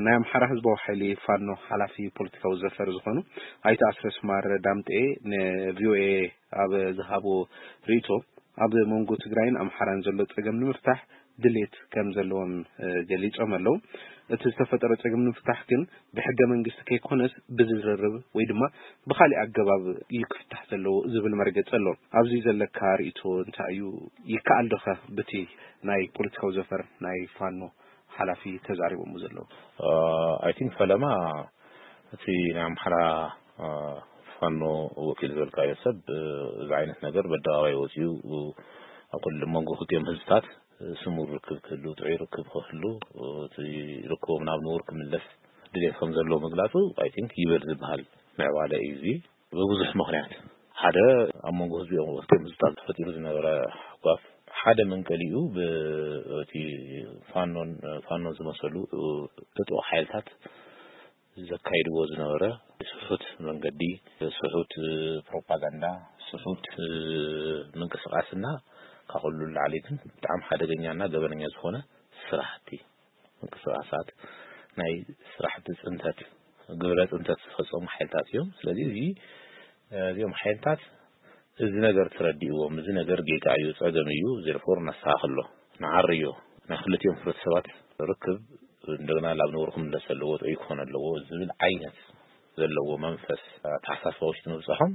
ናይ ኣምሓራ ህዝባዊ ሓይሊ ፋኖ ሓላፊ ፖለቲካዊ ዘፈር ዝኾኑ ኣይተ ኣስረስ ማረ ዳምጤ ንቪኦኤ ኣብ ዝሃቦ ርእይቶ፣ ኣብ መንጎ ትግራይን ኣምሓራን ዘሎ ጸገም ንምፍታሕ ድሌት ከም ዘለዎም ገሊጾም ኣለዉ። እቲ ዝተፈጠረ ጸገም ንምፍታሕ ግን ብሕገ መንግስቲ ከይኮነስ ብዝርርብ ወይ ድማ ብኻሊእ ኣገባብ እዩ ክፍታሕ ዘለዎ ዝብል መርገጺ ኣሎ። ኣብዚ ዘለካ ርእይቶ እንታይ እዩ? ይከኣል ዶኸ ብቲ ናይ ፖለቲካዊ ዘፈር ናይ ፋኖ ሓላፊ ተዛሪቦም ዘለዉ? ኣይ ቲንክ ፈለማ እቲ ናይ ኣምሓራ ፋኖ ወኪል ዝበልካዮ ሰብ እዚ ዓይነት ነገር በኣደባባይ ወፂኡ ኣብ ኩሉ መንጎ ክልቲኦም ህዝብታት ስሙር ርክብ ክህሉ፣ ጥዑይ ርክብ ክህሉ፣ እቲ ርክቦም ናብ ንቡር ክምለስ ድሌት ከም ዘለዎ ምግላፁ ኣይ ቲንክ ይበል ዝበሃል ምዕባለ እዩ። እዚ ብብዙሕ ምኽንያት፣ ሓደ ኣብ መንጎ ህዝቢኦም ክልቲኦም ህዝብታት ተፈጢሩ ዝነበረ ሓጓፍ ሓደ መንቀሊኡ ብእቲ ፋኖን ፋኖን ዝመሰሉ ዕጡቕ ሓይልታት ዘካይድዎ ዝነበረ ስሑት መንገዲ፣ ስሑት ፕሮፓጋንዳ፣ ስሑት ምንቅስቃስና ካብ ኩሉ ንላዕሊ ግን ብጣዕሚ ሓደገኛና ገበነኛ ዝኾነ ስራሕቲ ምንቅስቃሳት ናይ ስራሕቲ ፅንተት፣ ግብረ ፅንተት ዝፈፀሙ ሓይልታት እዮም። ስለዚ እዚ እዚኦም ሓይልታት እዚ ነገር ተረዲእዎም፣ እዚ ነገር ጌጋ እዩ፣ ፀገም እዩ፣ therefore ነስተኻኽሎ፣ ንዓርዮ፣ ናይ ክልቲኦም ሕብረተሰባት ርክብ እንደገና ናብ ንቡር ክምለስ ዘለዎ፣ ጥዑይ ክኾን ኣለዎ ዝብል ዓይነት ዘለዎ መንፈስ ኣተሓሳስባ ውሽጢ ምብፅሖም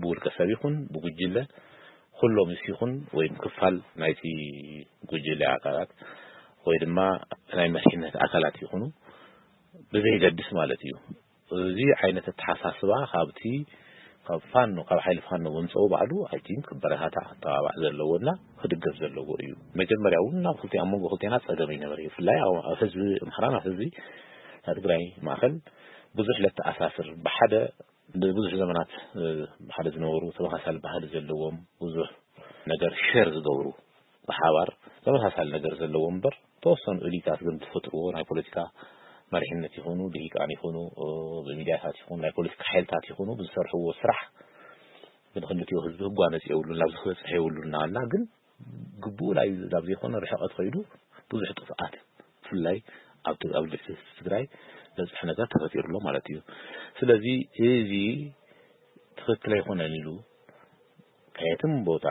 ብውልቀ ሰብ ይኹን ብጉጅለ ኩሎም ምስ ይኹን ወይም ክፋል ናይቲ ጉጅለ ኣካላት ወይ ድማ ናይ መሪሕነት ኣካላት ይኹኑ ብዘይገድስ ማለት እዩ። እዚ ዓይነት ኣተሓሳስባ ካብቲ ካብ ፋኖ ካብ ሓይሊ ፋኖ ምምፅኡ ባዕሉ ኣይ ቲንክ ክበረታታዕ ክተባባዕ ዘለዎ እና ክድገፍ ዘለዎ እዩ። መጀመርያ እውን ናብ ክልቲኣ ኣብ መንጎ ክልቲና ፀገም ይነበረ እዩ። ብፍላይ ኣብ ኣብ ህዝቢ ኣምሓራን ኣብ ህዝቢ ናይ ትግራይ ማእኸል ብዙሕ ለተኣሳስር ብሓደ ንብዙሕ ዘመናት ብሓደ ዝነበሩ ተመሳሳሊ ባህሊ ዘለዎም ብዙሕ ነገር ሸር ዝገብሩ ብሓባር ተመሳሳሊ ነገር ዘለዎ እምበር ተወሰኑ እሊታት ግን ዝፈጥርዎ ናይ ፖለቲካ መሪሕነት ይኹኑ ልሂቃን ይኹኑ ብሚድያታት ይኹኑ ናይ ፖለቲካ ሓይልታት ይኹኑ ብዝሰርሕዎ ስራሕ ግን ክልቲኡ ህዝቢ ህጓነፅ የብሉን፣ ናብዚ ክበፅሕ የብሉን እናበልና ግን ግቡኡ ናይ ናብ ዘይኮነ ርሕቀት ከይዱ ብዙሕ ጥፍኣት ብፍላይ ኣብ ት- ኣብ ልዕሊ ህዝቢ ትግራይ ዘብፅሕ ነገር ተፈጢሩ ኣሎ ማለት እዩ። ስለዚ እዚ ትኽክል ኣይኮነን ኢሉ ከየትም ቦታ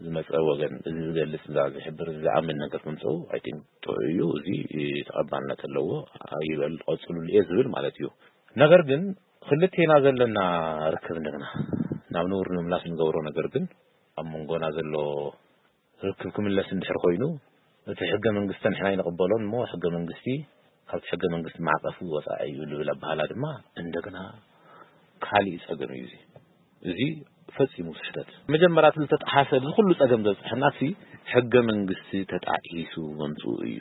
ዝመፀ ወገን እዚ ዝገልፅ እዛ ዝሕብር እዚ ዝኣምን ነገር ምምፅኡ ኣይ ቲንክ ጥዑይ እዩ። እዚ ተቐባልነት ኣለዎ። ይበል ቀፅሉሉ እየ ዝብል ማለት እዩ። ነገር ግን ክልቴና ዘለና ርክብ እንደገና ናብ ንቡር ንምምላስ እንገብሮ ነገር ግን ኣብ መንጎና ዘሎ ርክብ ክምለስ እንድሕር ኮይኑ እቲ ሕገ መንግስቲ ንሕና ኣይንቕበሎን እሞ ሕገ መንግስቲ ካብቲ ሕገ መንግስቲ ማዕቐፍ ወፃኢ እዩ ልብል ኣበሃላ ድማ እንደገና ካሊእ ፀገም እዩ። እዚ እዚ ፈፂሙ ስሕተት መጀመርያ እቲ ዝተጠሓሰ እዚ ኩሉ ፀገም ዘብፅሐና እቲ ሕገ መንግስቲ ተጣኢሱ መምፅኡ እዩ።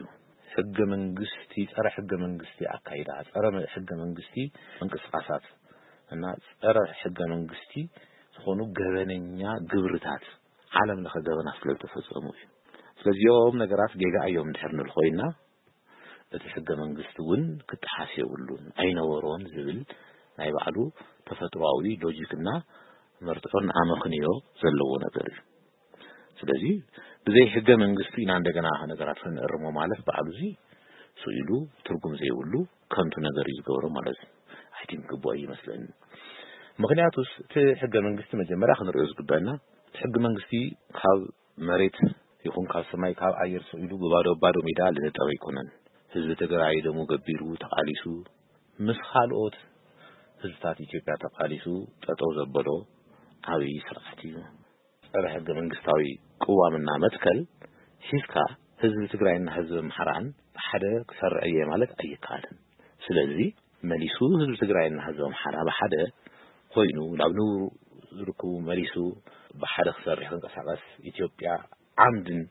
ሕገ መንግስቲ ጸረ ሕገ መንግስቲ ኣካይዳ ጸረ ሕገ መንግስቲ ምንቅስቃሳት እና ጸረ ሕገ መንግስቲ ዝኾኑ ገበነኛ ግብርታት ዓለም ለኸ ገበናት ስለ ዝተፈጸሙ እዩ። ስለዚኦም ነገራት ጌጋ እዮም እንድሕር ንብል ኮይና እቲ ሕገ መንግስቲ እውን ክጠሓስ የብሉን ኣይነበሮን ዝብል ናይ ባዕሉ ተፈጥሮኣዊ ሎጂክና መርትዖን ኣመኽንዮ ዘለዎ ነገር እዩ። ስለዚ ብዘይ ሕገ መንግስቲ ኢና እንደገና ነገራት ክንእርሞ ማለት ባዕሉ እዚ ስኢሉ ትርጉም ዘይብሉ ከንቱ ነገር እዩ ዝገብሮ ማለት እዩ። ኣይ ቲንክ ግቡእ ይመስለኒ። ምክንያቱስ እቲ ሕገ መንግስቲ መጀመርያ ክንሪኦ ዝግበአና እቲ ሕገ መንግስቲ ካብ መሬት ይኹን ካብ ሰማይ ካብ ኣየር ስኢሉ ብባዶ ባዶ ሜዳ ልነጠበ ኣይኮነን። ህዝቢ ትግራይ ደሙ ገቢሩ ተቃሊሱ ምስ ካልኦት ህዝብታት ኢትዮጵያ ተቃሊሱ ጠጠው ዘበሎ ዓብዪ ስርዓት እዩ። ጸረ ሕገ መንግስታዊ ቅዋምና መትከል ሒዝካ ህዝቢ ትግራይና ህዝቢ ኣምሓራን ብሓደ ክሰርዕ እየ ማለት ኣይከኣልን። ስለዚ መሊሱ ህዝቢ ትግራይና ህዝቢ ኣምሓራ ብሓደ ኮይኑ ናብ ንቡር ርክቡ መሊሱ ብሓደ ክሰርሕ ክንቀሳቀስ ኢትዮጵያ ዓምድን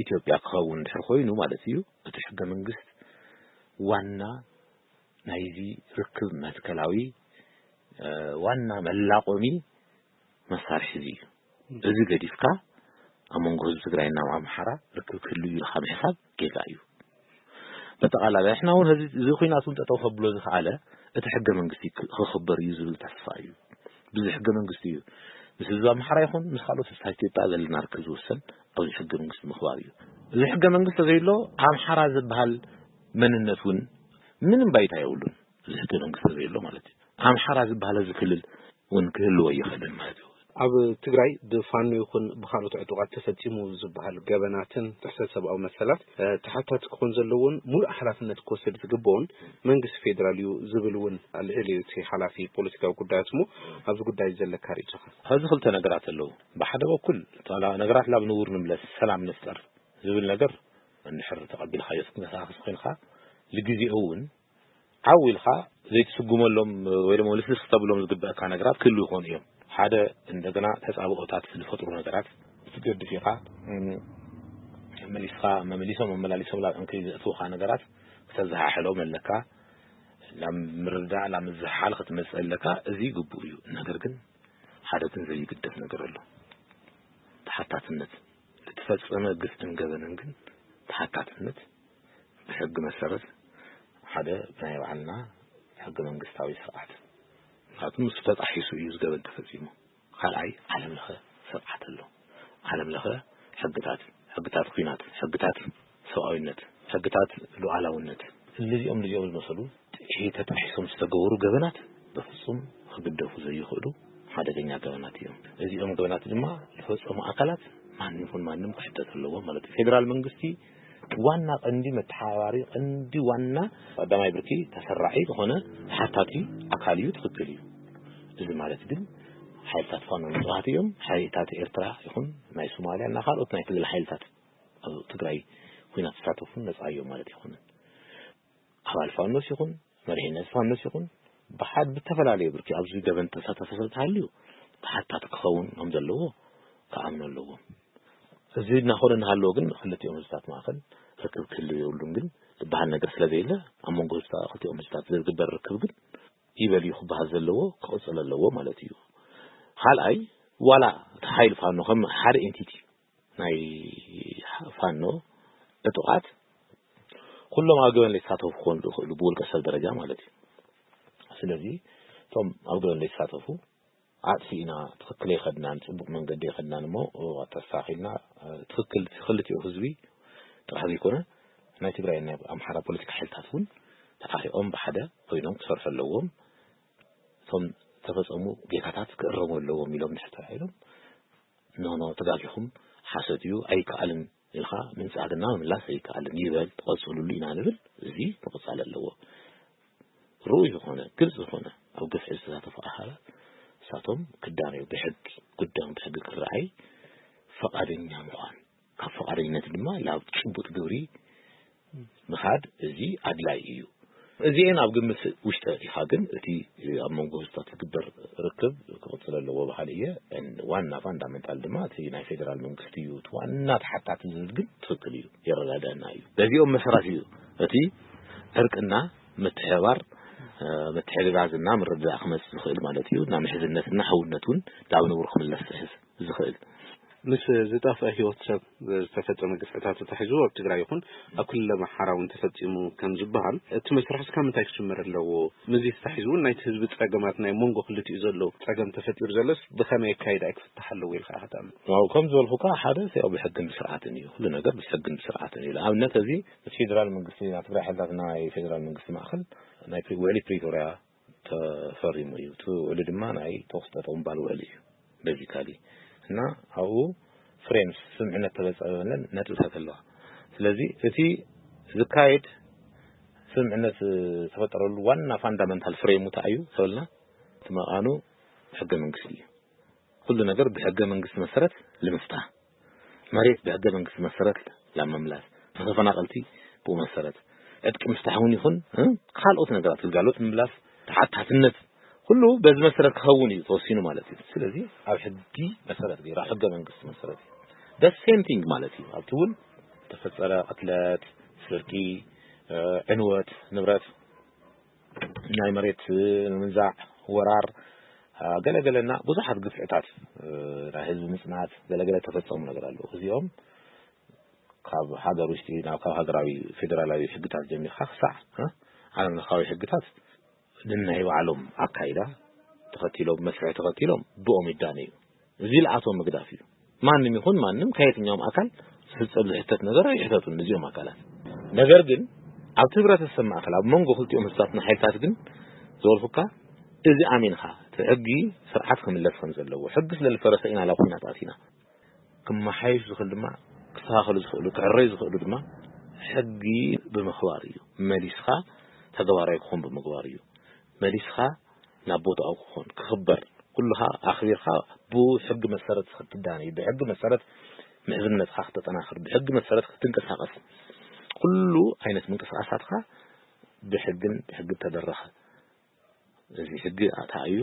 ኢትዮጵያ ክኸውን እንድሕር ኮይኑ ማለት እዩ እቲ ሕገ መንግስት ዋና ናይዚ ርክብ መትከላዊ ዋና መላቆሚ መሳርሒ እዚ እዩ። እዚ ገዲፍካ ኣብ መንጎ ህዝቢ ትግራይና ኣብ ኣምሓራ ርክብ ክህሉ እዩ ኢልካ ምሕሳብ ጌጋ እዩ። በጠቓላላ ንሕና እውን እዚ ኩናት እውን ጠጠው ከብሎ ዝኸኣለ እቲ ሕገ መንግስቲ ክኽበር እዩ ዝብል ተስፋ እዩ። ብዚ ሕገ መንግስቲ እዩ ምስ ህዝቢ ኣምሓራ ይኹን ምስ ካልኦት ህዝብታት ኢትዮጵያ ዘለና ርክብ ዝውሰን ኣብዚ ሕገ መንግስቲ ምኽባር እዩ። እዚ ሕገ መንግስቲ ዘይሎ ኣምሓራ ዝበሃል መንነት እውን ምንም ባይታ የብሉን። እዚ ሕገ መንግስቲ ዘይሎ ማለት እዩ ኣምሓራ ዝበሃል እዚ ክልል እውን ክህልዎ ይኽእልን ማለት እዩ። ኣብ ትግራይ ብፋኖ ይኹን ብካልኦት ዕጡቓት ተፈፂሙ ዝበሃል ገበናትን ጥሕሰት ሰብኣዊ መሰላት ተሓታቲ ክኾን ዘለዎን ሙሉእ ሓላፍነት ክወስድ ዝግበኦን መንግስቲ ፌዴራል እዩ ዝብል እውን ኣልዒሉ እዩ እቲ ሓላፊ ፖለቲካዊ ጉዳያት እሞ ኣብዚ ጉዳይ ዘለካ ርእቶኻ? ኣብዚ ክልተ ነገራት ኣለዉ። ብሓደ በኩል ነገራት ናብ ንቡር ንምለስ፣ ሰላም ንፍጠር ዝብል ነገር እንድሕር ተቐቢልካዮ ክትንቀሳቐስ ኮይንካ ንግዜኡ እውን ዓው ኢልካ ዘይትስጉመሎም ወይ ድማ ልስልስ ክተብሎም ዝግበእካ ነገራት ክህሉ ይኾኑ እዮም። ሓደ እንደገና ተፃብኦታት ዝፈጥሩ ነገራት ክትገድፍ ኢኻ። መሊስካ መመሊሶም መመላሊሶም ላብ ዕንክሊል ዘእትውካ ነገራት ክተዘሓሕሎም ኣለካ። ናብ ምርዳእ ናብ ምዝሓል ክትመፅእ ኣለካ። እዚ ግቡእ እዩ። ነገር ግን ሓደ ግን ዘይግደፍ ነገር ኣሎ። ተሓታትነት ዝተፈፀመ ግፍዕን ገበንን ግን ተሓታትነት ብሕጊ መሰረት ሓደ ናይ ባዕልና ሕገ መንግስታዊ ስርዓት ምክንያቱ ምስ ተጣሒሱ እዩ ዝገበን ተፈፂሙ። ካልኣይ ዓለም ለኸ ስርዓት ኣሎ። ዓለም ለኸ ሕግታት፣ ሕግታት ኩናት፣ ሕግታት ሰብኣዊነት፣ ሕግታት ሉዓላውነት እዚኦም እዚኦም ዝመሰሉ ተጣሒሶም ዝተገበሩ ገበናት በፍፁም ክግደፉ ዘይኽእሉ ሓደገኛ ገበናት እዮም። እዚኦም ገበናት ድማ ዝፈፀሙ ኣካላት ማንም ይኹን ማንም ክሕተት ኣለዎ ማለት እዩ። ፌዴራል መንግስቲ ዋና ቀንዲ መተሓባሪ ቀንዲ ዋና ቀዳማይ ብርኪ ተሰራዒ ዝኾነ ተሓታቲ ኣካል እዩ። ትኽክል እዩ። እዚ ማለት ግን ሓይልታት ፋኖ ንፁሃት እዮም። ሓይልታት ኤርትራ ይኹን ናይ ሶማልያ እና ካልኦት ናይ ክልል ሓይልታት ኣብ ትግራይ ኩናት ዝሳተፉ ነፃ እዮም ማለት ይኹንን ኣባል ፋኖስ ይኹን መሪሕነት ፋኖስ ይኹን ብሓድ ብተፈላለየ ብርኪ ኣብዚ ገበን ተሳተፈ ሰብ ተሃልዩ ተሓታቲ ክኸውን ከም ዘለዎ ክኣምኑ ኣለዎም። እዚ እናኾነ እናሃለዎ ግን ክልቲኦም ህዝብታት ማእኸል ርክብ ክህልው የብሉን ግን ዝበሃል ነገር ስለ ዘየለ ኣብ መንጎ ህዝብታ ክልቲኦም ህዝብታት ዝግበር ርክብ ግን ይበል እዩ ክበሃል ዘለዎ ክቕፅል ኣለዎ ማለት እዩ። ካልኣይ ዋላ እቲ ሓይሊ ፋኖ ከም ሓደ ኤንቲቲ ናይ ፋኖ ዕጡቓት ኩሎም ኣብ ገበን ዘይተሳተፉ ክኾኑ ዝኽእሉ ብውልቀ ሰብ ደረጃ ማለት እዩ። ስለዚ እቶም ኣብ ገበን ዘይተሳተፉ ኣጥፊእና ትኽክል ኣይኸድናን ፅቡቕ መንገዲ ኣይኸድናን እሞ ተስተኻኺልና ትኽክል ክልቲኡ ህዝቢ ጥራሕ ዘይኮነ ናይ ትግራይ ናይ ኣምሓራ ፖለቲካ ሓይልታት እውን ተዓሪቖም ብሓደ ኮይኖም ክሰርሑ ኣለዎም። እቶም ዝተፈፀሙ ጌጋታት ክእረሙ ኣለዎም ኢሎም ድሕር ተባሂሎም ኖኖ ተጋጊኹም ሓሰት እዩ ኣይከኣልን ኢልካ ምንፃግና ምምላስ ኣይከኣልን ይበል ትቐፅሉሉ ኢና ንብል። እዚ ምቕፃል ኣለዎ። ርኡይ ዝኾነ ግልፂ ዝኾነ ኣብ ግፍዒ ዝተሳተፉ ኣካላት እሳቶም ክዳነዩ ብሕጊ ጉዳዮም ብሕጊ ክረኣይ ፈቓደኛ ምዃን ካብ ፈቓደኝነት ድማ ናብ ጭቡጥ ግብሪ ምኻድ እዚ ኣድላይ እዩ። እዚኤን ኣብ ግምት ውሽጢ ኣእቲኻ ግን እቲ ኣብ መንጎ ህዝብታት ዝግበር ርክብ ክቕፅል ኣለዎ በሃሊ እየ። ዋና ፋንዳመንታል ድማ እቲ ናይ ፌደራል መንግስቲ እዩ እቲ ዋና ተሓታቲ ዝብል ግን ትኽክል እዩ፣ የረዳድአና እዩ። በዚኦም መሰራት እዩ እቲ ዕርቅና ምትሕባር ምትሕግጋዝና ምርዳእ ክመፅእ ዝኽእል ማለት እዩ። ናብ ምሕዝነትና ሕውነት እውን ናብ ንቡር ክምለስ ዝኽእል። ምስ ዝጠፍአ ህይወት ሰብ ዝተፈጸመ ግፍዕታት ተታሒዙ ኣብ ትግራይ ይኹን ኣብ ክልል ኣምሓራ እውን ተፈጺሙ ከም ዝበሃል እቲ መስርሕ እስካብ ምንታይ ክጅመር ኣለዎ? ምስዚ ተታሒዙ እውን ናይቲ ህዝቢ ጸገማት ናይ መንጎ ክልቲኡ ዘሎ ጸገም ተፈጢሩ ዘሎስ ብኸመይ ኣካይዳ ክፍታሕ ኣለዎ ኢልካ ኢኻ ትኣምን? ዋው ከም ዝበልኩካ ሓደ ያው ብሕግን ብስርዓትን እዩ። ኩሉ ነገር ብሕግን ብስርዓትን እዩ። ንኣብነት እዚ እቲ ፌደራል መንግስቲ ናይ ትግራይ ሓይልታት ናይ ፌደራል መንግስቲ ማእኸል ናይ ፕሪ- ውዕሊ ፕሪቶርያ ተፈሪሙ እዩ። እቲ ውዕሊ ድማ ናይ ተኩስ ጠጠው ምባል ውዕሊ እዩ። ቤዚካሊ እና ኣብኡ ፍሬምስ ስምዕነት ተበፀበለን ነጥብታት ኣለዋ። ስለዚ እቲ ዝካየድ ስምዕነት ዝተፈጠረሉ ዋና ፋንዳመንታል ፍሬሙ እንታይ እዩ ተበልና እቲ መቓኑ ሕገ መንግስቲ እዩ። ኩሉ ነገር ብሕገ መንግስቲ መሰረት ልምፍታ መሬት ብሕገ መንግስቲ መሰረት ላብ ምምላስ ተፈናቐልቲ ብኡ መሰረት ዕጥቂ ምፍታሕ እውን ይኹን ካልኦት ነገራት ግልጋሎት ምምላስ ተሓታትነት ኩሉ በዚ መሰረት ክኸውን እዩ ተወሲኑ ማለት እዩ። ስለዚ ኣብ ሕጊ መሰረት ገይሩ ኣብ ሕገ መንግስቲ መሰረት እዩ the same thing ማለት እዩ። ኣብቲ እውን ተፈፀረ ቅትለት፣ ስርቂ፣ ዕንወት፣ ንብረት ናይ መሬት ምንዛዕ፣ ወራር ገለገለና ብዙሓት ግፍዕታት ናይ ህዝቢ ምፅናት ገለገለ ተፈፀሙ ነገር ኣለዉ። እዚኦም ካብ ሃገር ውሽጢ ናብ ካብ ሃገራዊ ፌደራላዊ ሕግታት ጀሚርካ ክሳዕ ዓለም ለኻዊ ሕግታት ንናይ ባዕሎም ኣካይዳ ተኸቲሎም መስርሕ ተኸቲሎም ብኦም ይዳነ እዩ። እዚ ልኣቶም ምግዳፍ እዩ። ማንም ይኹን ማንም ከየትኛውም ኣካል ዝፍፀም ዝሕተት ነገር ኣይሕተቱን እዚኦም ኣካላት። ነገር ግን ኣብቲ ህብረተሰብ ማእከል ኣብ መንጎ ክልቲኦም ህዝብታትና ሓይልታት ግን ዝበልኩካ እዚ ኣሚንካ እቲ ሕጊ ስርዓት ክምለስ ከም ዘለዎ ሕጊ ስለ ዝፈረሰ ኢና ናብ ኩናት ኣቲና። ክመሓየሽ ዝኽእል ድማ ክስተኻኸሉ ዝኽእሉ ክዕረዩ ዝኽእሉ ድማ ሕጊ ብምኽባር እዩ። መሊስኻ ተግባራዊ ክኾን ብምግባር እዩ። መሊስኻ ናብ ቦታኡ ክኾን ክኽበር ኩልኻ ኣኽቢርካ ብሕጊ መሰረት ክትዳነ እዩ። ብሕጊ መሰረት ምሕዝነትካ ክተጠናኽር ብሕጊ መሰረት ክትንቀሳቐስ ኩሉ ዓይነት ምንቅስቃሳትካ ብሕግን ብሕጊ ተደረኸ እዚ ሕጊ ኣታ እዩ።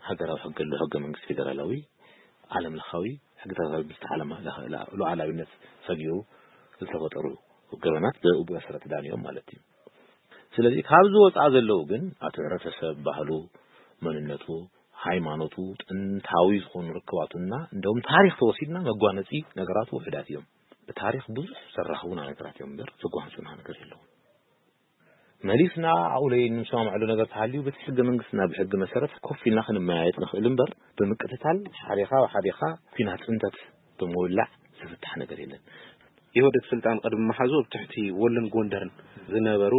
ሃገራዊ ሕጊ ኣሎ ሕገ መንግስቲ ፌደራላዊ ዓለም ለኻዊ ሕግታት ምስ ዓለም ሉዓላዊነት ሰጊሩ ዝተፈጠሩ ገበናት ብኡ መሰረት ዳንዮም ማለት እዩ። ስለዚ ካብዚ ወፃእ ዘለዉ ግን ኣቲ ሕብረተሰብ ባህሉ መንነቱ ሃይማኖቱ ጥንታዊ ዝኾኑ ርክባቱና እንደውም ታሪክ ተወሲድና መጓነፂ ነገራቱ ውሕዳት እዮም። ብታሪክ ብዙሕ ዘራኽቡና ነገራት እዮም እምበር ዘጓንፁና ነገር የለውን። መሊስና ኣብኡ ለይ እንሰማምዐሉ ነገር ተሃልዩ በቲ ሕገ መንግስትና ብሕጊ መሰረት ኮፍ ኢልና ክንመያየጥ ንኽእል እምበር ብምቅትታል ሓዴኻ ብሓዴኻ ኩናት ፅንተት ብምውላዕ ዝፍታሕ ነገር የለን። ኢህወደግ ስልጣን ቅድሚ መሓዙ ኣብ ትሕቲ ወሎን ጎንደርን ዝነበሩ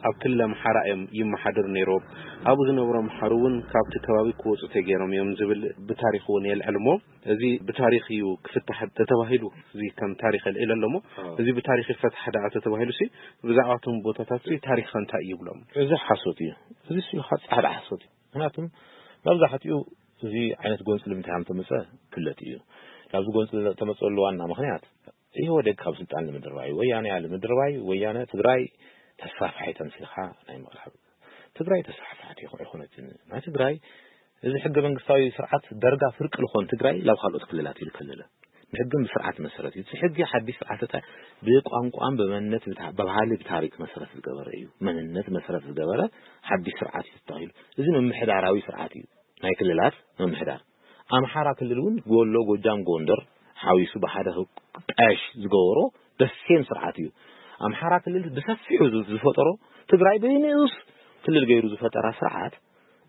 ኣብ ክልል ኣምሓራ እዮም ይመሓደሩ ነይሮም። ኣብኡ ዝነበሩ ኣምሓሩ እውን ካብቲ ከባቢ ክወፁ ተገይሮም እዮም ዝብል ብታሪክ እውን የልዕል እሞ እዚ ብታሪክ እዩ ክፍታሕ ተተባሂሉ እዚ ከም ታሪክ የልዕል ኣሎ እሞ እዚ ብታሪክ ይፈታሕ ደኣ ተተባሂሉ ሲ ብዛዕባ እቶም ቦታታት ሲ ታሪክ ከ እንታይ ይብሎም? እዚ ሓሶት እዩ። እዚ ሲ ጻዕዳ ሓሶት እዩ። ምክንያቱም መብዛሕትኡ እዚ ዓይነት ጎንፂ ንምንታይ ከም ተመፀ ክፍለጥ እዩ። ናብዚ ጎንፂ ተመፀሉ ዋና ምክንያት ኢህወደግ ካብ ስልጣን ንምድርባይ ወያነ እያ ንምድርባይ ወያነ ትግራይ ተስፋፍሓይ ተምሲልካ ናይ ምቕራብ ትግራይ ተስፋፍሓት ኣይኮነትን ናይ ትግራይ እዚ ሕገ መንግስታዊ ስርዓት ደርጋ ፍርቂ ልኾን ትግራይ ላብ ካልኦት ክልላት ኢሉ ከለለ ብሕግን ብስርዓት መሰረት እዩ። እቲ ሕጊ ሓዲሽ ስርዓት እታ ብቋንቋን ብመንነት ብባህሊ ብታሪክ መሰረት ዝገበረ እዩ። መንነት መሰረት ዝገበረ ሓዲሽ ስርዓት እዩ ተታኺሉ። እዚ ምምሕዳራዊ ስርዓት እዩ። ናይ ክልላት ምምሕዳር ኣምሓራ ክልል እውን ጎሎ ጎጃም ጎንደር ሓዊሱ ብሓደ ክጣየሽ ዝገበሮ ደሴም ስርዓት እዩ። ኣምሓራ ክልል ብሰፊሑ ዝፈጠሮ ትግራይ ብንኡስ ክልል ገይሩ ዝፈጠራ ስርዓት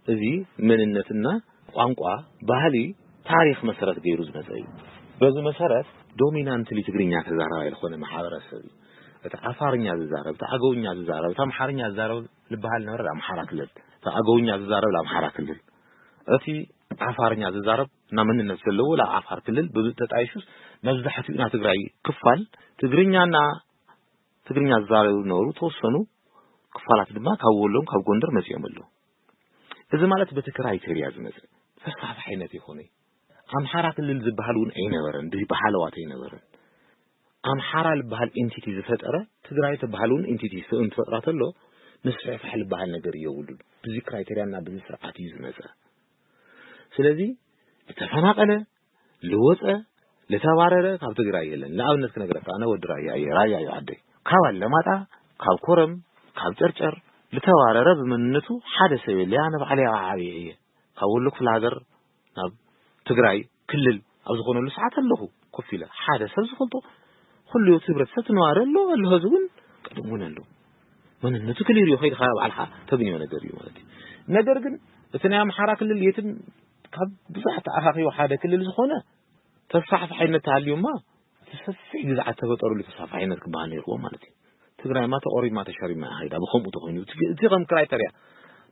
እዚ መንነትና ቋንቋ ባህሊ ታሪክ መሰረት ገይሩ ዝመፀ እዩ። በዚ መሰረት ዶሚናንትሊ ትግርኛ ተዛራባይ ዝኾነ ማሕበረሰብ እዩ። እቲ ዓፋርኛ ዝዛረብ እቲ ኣገውኛ ዝዛረብ እቲ ኣምሓርኛ ዝዛረብ ዝበሃል ነበረ ኣምሓራ ክልል እቲ ኣገውኛ ዝዛረብ ኣምሓራ ክልል እቲ ዓፋርኛ ዝዛረብ እና መንነት ዘለዎ ላ ዓፋር ክልል ብተጣይሹስ መብዛሕትኡ ና ትግራይ ክፋል ትግርኛና ትግርኛ ዝዛረቡ ነበሩ ተወሰኑ ክፋላት ድማ ካብ ወሎም ካብ ጎንደር መፂኦም ኣለዉ። እዚ ማለት በቲ ክራይቴርያ ዝመፅእ ተስፋሕፋሕነት ይኾነ ኣምሓራ ክልል ዝበሃል እውን ኣይነበረን ብሃለዋት ኣይነበረን። ኣምሓራ ዝበሃል ኢንቲቲ ዝፈጠረ ትግራይ ዝበሃል እውን ኢንቲቲ ስእን ትፈጥራ ተሎ ምስፍሕፋሕ ዝበሃል ነገር የብሉን። ብዚ ክራይቴርያና ብዚ ስርዓት እዩ ዝመፀ። ስለዚ ዝተፈናቀለ ልወፀ ልተባረረ ካብ ትግራይ የለን። ንኣብነት ክነግረካ ኣነ ወዲ ራያ እየ። ራያ እዩ ዓደይ። ካብ ኣለማጣ ካብ ኮረም ካብ ጨርጨር ልተባረረ ብመንነቱ ሓደ ሰብ የለ ኣነ ባዕለይ ዓብየ እየ። ካብ ወሎ ክፍለ ሃገር ናብ ትግራይ ክልል ኣብ ዝኾነሉ ሰዓት ኣለኹ ኮፍ ኢለ ሓደ ሰብ ዝፈልጦ ኩሉ እቲ ህብረተሰብ ትነባረ ኣሎ ኣሎ ህዚ እውን ቅድም እውን ኣሎ። መንነቱ ክሊር እዩ ከይድካ ባዕልካ ተግንዮ ነገር እዩ ማለት እዩ። ነገር ግን እቲ ናይ ኣምሓራ ክልል የትም ካብ ብዙሕ ተኣኻኺቡ ሓደ ክልል ዝኾነ ተስፋሕፋሕነት ተሃልዩማ እቲ ሰፊሕ ግዝዓት ተፈጠሩሉ ተስፋሕፋሕነት ክበሃል ነይርዎ ማለት እዩ። ትግራይማ ተቆሪማ ተሸሪማ እያ ኸይዳ ብከምኡ ተኮይኑ እቲ ከም ክራይተርያ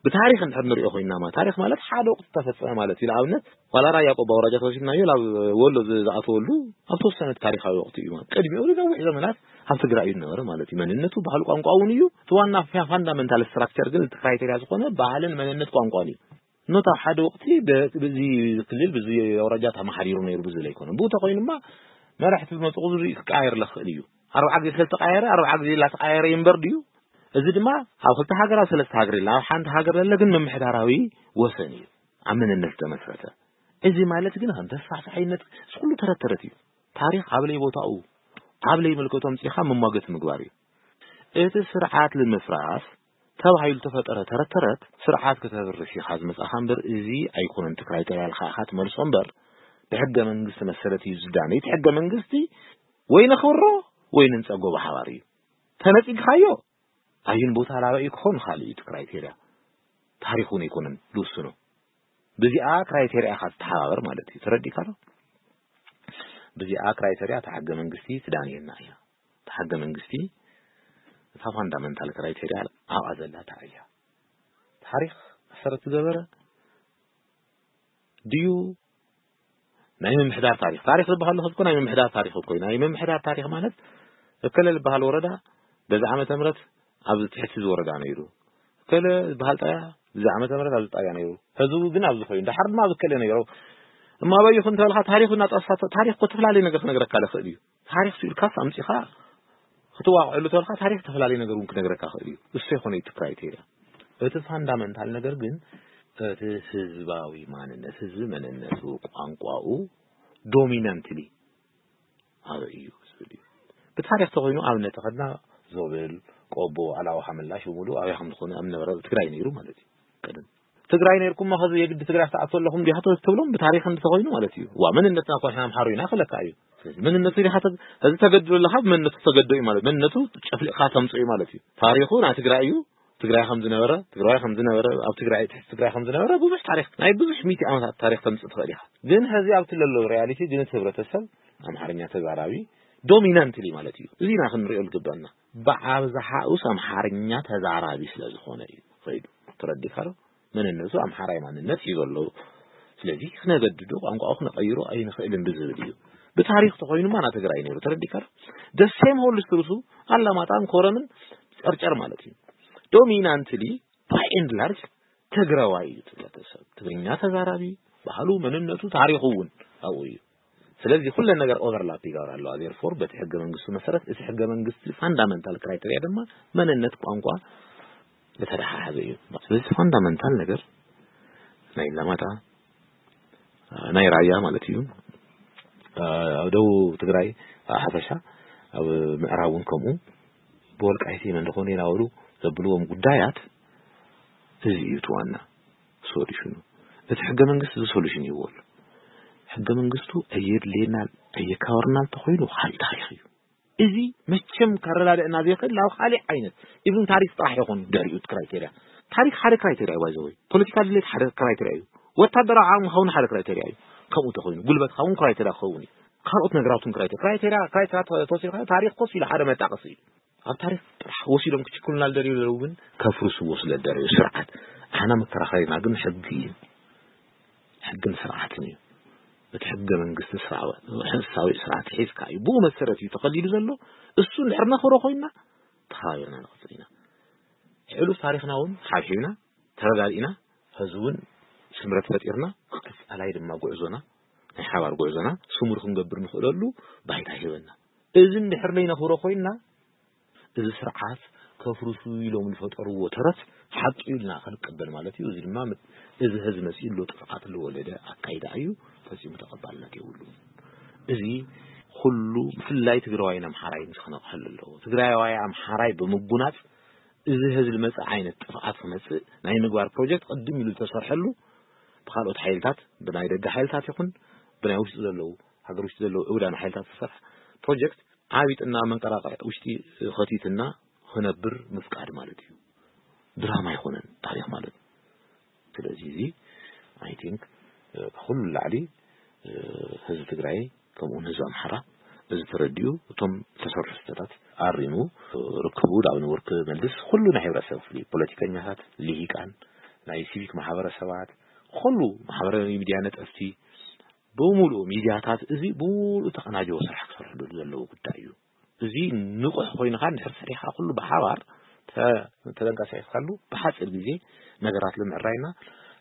ብታሪክ እንድሕር ንሪኦ ኮይናማ ታሪክ ማለት ሓደ ወቅቲ ተፈፀመ ማለት እዩ። ንኣብነት ዋላ ራያ ቆባ ወራጃ ተወሲድናዮ ናብ ወሎ ዝኣተወሉ ኣብ ተወሰነ ታሪካዊ ወቅቲ እዩ። ቅድሚኡ ንነዊሕ ዘመናት ኣብ ትግራይ እዩ ዝነበረ ማለት እዩ። መንነቱ ባህሉ ቋንቋ እውን እዩ። እቲ ዋና ፋንዳመንታል ስትራክቸር ግን እቲ ክራይቴርያ ዝኾነ ባህልን መንነት ቋንቋን እዩ። ኖት ኣብ ሓደ ወቅቲ በዚ ክልል ብዚ ኣውራጃ ተመሓዲሩ ነይሩ ብዝብል ኣይኮነን። ብኡ ተኮይኑማ መራሕቲ ብመፅኡ ዝርኢ ክቀያየር ለኽእል እዩ። ኣርብዓ ግዜ ስለዝተቀያየረ ኣርብዓ ግዜ ላተቀያየረ ይንበር ድዩ? እዚ ድማ ኣብ ክልተ ሃገር ኣብ ሰለስተ ሃገር ኢልና ኣብ ሓንቲ ሃገር ለለ ግን ምምሕዳራዊ ወሰን እዩ ኣብ መንነት ዝተመስረተ። እዚ ማለት ግን ከም ተስፋሕፋሕነት እዚ ኩሉ ተረት ተረት እዩ። ታሪክ ኣብ ለይ ቦታኡ ኣብ ለይ መልከቶም ፅኢኻ መሟገቲ ምግባር እዩ። እቲ ስርዓት ንምፍራስ ተባሂሉ ተፈጠረ ተረት ተረት ስርዓት ከተብርስ ኢኻ ዝመጻኻ እምበር፣ እዚ ኣይኮነን እቲ ክራይቴርያ ኢልካ ኢኻ ትመልሶ እምበር፣ ብሕገ መንግስቲ መሰረት እዩ ዝዳነ። እቲ ሕገ መንግስቲ ወይ ነኽብሮ ወይ ንንጸጎ ብሓባር እዩ። ተነጺግካዮ ኣዩን ቦታ ላበ እዩ ክኾን ካልእ እዩ እቲ ክራይቴርያ። ታሪኽ እውን ኣይኮነን ዝውስኖ። ብዚኣ ክራይቴርያ ኢኻ ትተሓባበር ማለት እዩ። ተረዲእካ ዶ? ብዚኣ ክራይቴርያ እታ ሕገ መንግስቲ ትዳንየና እያ። እታ ሕገ መንግስቲ እታ ፋንዳመንታል ክራይቴርያ ኣብኣ ዘላ እታ እያ። ታሪኽ መሰረት ዝገበረ ድዩ ናይ ምምሕዳር ታሪኽ? ታሪኽ ዝበሃል ለኸ እኮ ናይ ምምሕዳር ታሪኽ እኮ እዩ። ናይ ምምሕዳር ታሪኽ ማለት እከለ ዝበሃል ወረዳ በዚ ዓመተ ምህረት ኣብዚ ትሕቲ እዚ ወረዳ ነይሩ፣ እከለ ዝበሃል ጣያ እዚ ዓመተ ምህረት ኣብዚ ጣያ ነይሩ፣ ሕዚ ግን ኣብዚ ኮይኑ፣ ደሓር ድማ ኣብዚ እከለ ነይሩ። እሞ ኣበይ ይኹን እንተበልካ ታሪኽ እናጠቕስካ፣ ታሪኽ እኮ ተፈላለየ ነገር ክነግረካ ይኽእል እዩ። ታሪኽ ስኢልካስ ኣምጺኻ ክትዋቕዐሉ ተበልካ ታሪኽ ተፈላለየ ነገር እውን ክነግረካ ይኽእል እዩ። እሱ ይኾነ እቲ ክራይቴርያ። እቲ ፋንዳመንታል ነገር ግን እቲ ህዝባዊ ማንነት፣ ህዝቢ መንነቱ፣ ቋንቋኡ ዶሚናንትሊ ኣበይ እዩ ዝብል እዩ። ብታሪኽ ተኾይኑ ኣብነት ተኸድና ዞብል፣ ቆቦ፣ ኣላው ሓመላሽ ብምሉእ ኣበይ ከም ዝኾነ ኣብ ነበረ ትግራይ ነይሩ ማለት እዩ። ቀደም ትግራይ ነይርኩም ከዚ የግዲ ትግራይ ትኣቱ ኣለኹም ዲኻ ትብሎም ብታሪኽ እንተኾይኑ ማለት እዩ። ዋ መንነትና እኮ ንሕና ኣምሓሩ ኢና ክለካ እዩ። ስለዚ መንነቱ ዲኻ ተግ-፣ እዚ ተገድሎ ኣለኻ ብመንነቱ ተገዶ እዩ ማለት መንነቱ ጨፍሊቕካ ተምፅኦ እዩ ማለት እዩ። ታሪኹ ናይ ትግራይ እዩ። ትግራይ ከም ዝነበረ፣ ትግራይ ከም ዝነበረ፣ ኣብ ትግራይ ትሕቲ ትግራይ ከም ዝነበረ ብዙሕ ታሪኽ ናይ ብዙሕ ሚእቲ ዓመታት ታሪኽ ተምፅእ ትኽእል ኢኻ። ግን ሕዚ ኣብቲ ለሎ ሪያሊቲ ግን እቲ ህብረተሰብ ኣምሓርኛ ተዛራቢ ዶሚናንትሊ ማለት እዩ። እዚ ኢና ክንሪኦ ዝግበአና። ብኣብዝሓኡስ ኣምሓርኛ ተዛራቢ ስለ ዝኾነ እዩ ኸይዱ። ተረዲእካ ዶ? መንነቱ ኣምሓራይ ማንነት እዩ ዘሎ። ስለዚ ክነገድዶ ቋንቋኡ ክነቐይሮ ኣይንኽእልን ብዝብል እዩ። ብታሪኽ ተኾይኑማ ና ትግራይ ነይሩ። ተረዲእካ ዶ? ደሴም ሆል ስትሩሱ ኣላማጣን ኮረምን ጨርጨር ማለት እዩ። ዶሚናንትሊ ባይ ኤንድ ላርጅ ትግራዋይ እዩ። ትግረተሰብ ትግርኛ ተዛራቢ ባህሉ መንነቱ ታሪኹ እውን ኣብኡ እዩ። ስለዚህ ኩለን ነገር ኦቨርላፕ ይገብራ ኣለዋ። ዜርፎር በቲ ሕገ መንግስቱ መሰረት እቲ ሕገ መንግስቲ ፋንዳመንታል ክራይተሪያ ድማ መንነት ቋንቋ ዝተደሓሓዘ እዩ። ስለዚህ ፋንዳመንታል ነገር ናይ ለማጣ ናይ ራያ ማለት እዩ። ኣብ ደቡብ ትግራይ ሓፈሻ ኣብ ምዕራብ እውን ከምኡ ብወልቃይት ኢና እንደኾነ ኢና በሉ ዘብልዎም ጉዳያት እዚ እዩ እቲ ዋና ሶሉሽኑ። እቲ ሕገ መንግስቲ እዚ ሶሉሽን ይህዎ ኣሎ። ሕገ መንግስቱ ኣየድልየናን ኣየካበርናን እንተኾይኑ ካልእ ታሪኽ እዩ። እዚ መቸም ከረዳድእና ዘይኽእል ናብ ካልእ ዓይነት ኢቭን ታሪኽ ጥራሕ ይኾን ድሕሪኡ እቲ ክራይቴርያ። ታሪኽ ሓደ ክራይቴርያ እዩ ባይዘወይ። ፖለቲካ ድሌት ሓደ ክራይቴርያ እዩ። ወታደራዊ ዓቕሚ ክኸውን ሓደ ክራይቴርያ እዩ። ከምኡ ተኾይኑ ጉልበትካ እውን ክራይቴርያ ክኸውን እዩ። ካልኦት ነገራት እውን ክራይቴርያ ክራይቴርያ ክራይቴርያ ተወሲድካ ታሪኽ ኮስ ኢሉ ሓደ መጣቀሲ እዩ። ኣብ ታሪኽ ጥራሕ ወሲዶም ክችክሉና ዝደልዩ ዘለዉ ግን ከፍርስዎ ስለ ዝደለዩ ስርዓት ኣና መከራኸሪና ግን ሕጊ እዩ። ሕግን ስርዓትን እዩ። እቲ ሕገ መንግስቲ ስርዓዊ ስርዓት ሒዝካ እዩ። ብኡ መሰረት እዩ ተኸሊሉ ዘሎ። እሱ እንድሕር ነኽብሮ ኮይና ተኸባቢርና ንኽፍል ኢና። ሕሉፍ ታሪኽና እውን ሓብሒብና ተረዳዲእና ህዝቢ እውን ስምረት ፈጢርና ቀፃላይ ድማ ጉዕዞና ናይ ሓባር ጉዕዞና ስሙር ክንገብር ንኽእለሉ ባይታ ሂበና። እዚ እንድሕር ዘይነኽብሮ ኮይና እዚ ስርዓት ከፍርሱ ኢሎም ዝፈጠርዎ ተረት ሓቂ ኢልና ክንቀበል ማለት እዩ። እዚ ድማ እዚ ህዝቢ መፂኡ ኣሎ ጥፍኣት ዝወለደ ኣካይዳ እዩ። ፈፂሙ ተቐባልነት የብሉን። እዚ ኩሉ ብፍላይ ትግራዋይን ኣምሓራይን እዚ ክነቕሐሉ ኣለዎ። ትግራዋይ ኣምሓራይ ብምጉናፅ እዚ ህዝቢ መፅእ ዓይነት ጥፍኣት ክመፅእ ናይ ምግባር ፕሮጀክት ቅድም ኢሉ ዝተሰርሐሉ ብካልኦት ሓይልታት ብናይ ደገ ሓይልታት ይኹን ብናይ ውሽጢ ዘለዉ ሃገር ውሽጢ ዘለዉ ዕውዳን ሓይልታት ዝተሰርሐ ፕሮጀክት ዓቢጥና መንቀራቕዕ ውሽጢ ኸቲትና ክነብር ምፍቃድ ማለት እዩ። ድራማ ኣይኮነን ታሪኽ ማለት። ስለዚ እዚ ኣይ ቲንክ ካብ ኩሉ ላዕሊ ህዝቢ ትግራይ ከምኡውን ህዝቢ ኣምሓራ እዚ ተረዲኡ እቶም ዝተሰርሑ ስህተታት ኣሪሙ ርክቡ ናብ ንቡር ክመልስ ኩሉ ናይ ሕብረተሰብ ክፍሊ ፖለቲከኛታት፣ ልሂቃን፣ ናይ ሲቪክ ማሕበረሰባት፣ ኩሉ ማሕበራዊ ሚድያ ነጠፍቲ ብምሉኡ ሚድያታት እዚ ብምሉኡ ተቐናጀወ ስራሕ ክሰርሕሉ ዘለዎ ጉዳይ እዩ። እዚ ንቑሕ ኮይንካ እንድሕር ሰሪሕካ ኩሉ ብሓባር ተ-፣ ተተንቀሳቒስካሉ ብሓፂር ግዜ ነገራት ንምዕራይና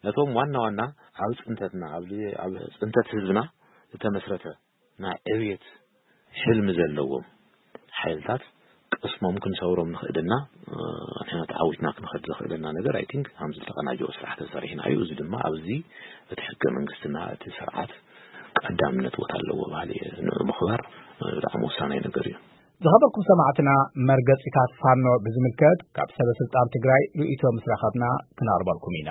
ነቶም ዋና ዋና ኣብ ፅንተትና ኣብ፣ ኣብ ፅንተት ህዝብና ዝተመስረተ ናይ ዕብየት ሕልሚ ዘለዎም ሓይልታት ቅስሞም ክንሰብሮም ንኽእልና፣ እ፣ ንሕና ተዓዊትና ክንኸድ ዘኽእለና ነገር ኣይ ቲንክ ከምዚ ዝተቐናጀወ ስራሕ ተሰሪሕና እዩ። እዚ ድማ ኣብዚ እቲ ሕገ መንግስትና እቲ ስርዓት ቀዳምነት ቦታ ኣለዎ በሃሊ እየ። ንኡ ምኽባር፣ እ፣ ብጣዕሚ ወሳናይ ነገር እዩ። ዝኸበርኩም ሰማዕትና፣ መርገጺታት ፋኖ ብዝምልከት ካብ ሰበ ስልጣን ትግራይ ርእይቶ ምስ ረኸብና ክነቕርበልኩም ኢና።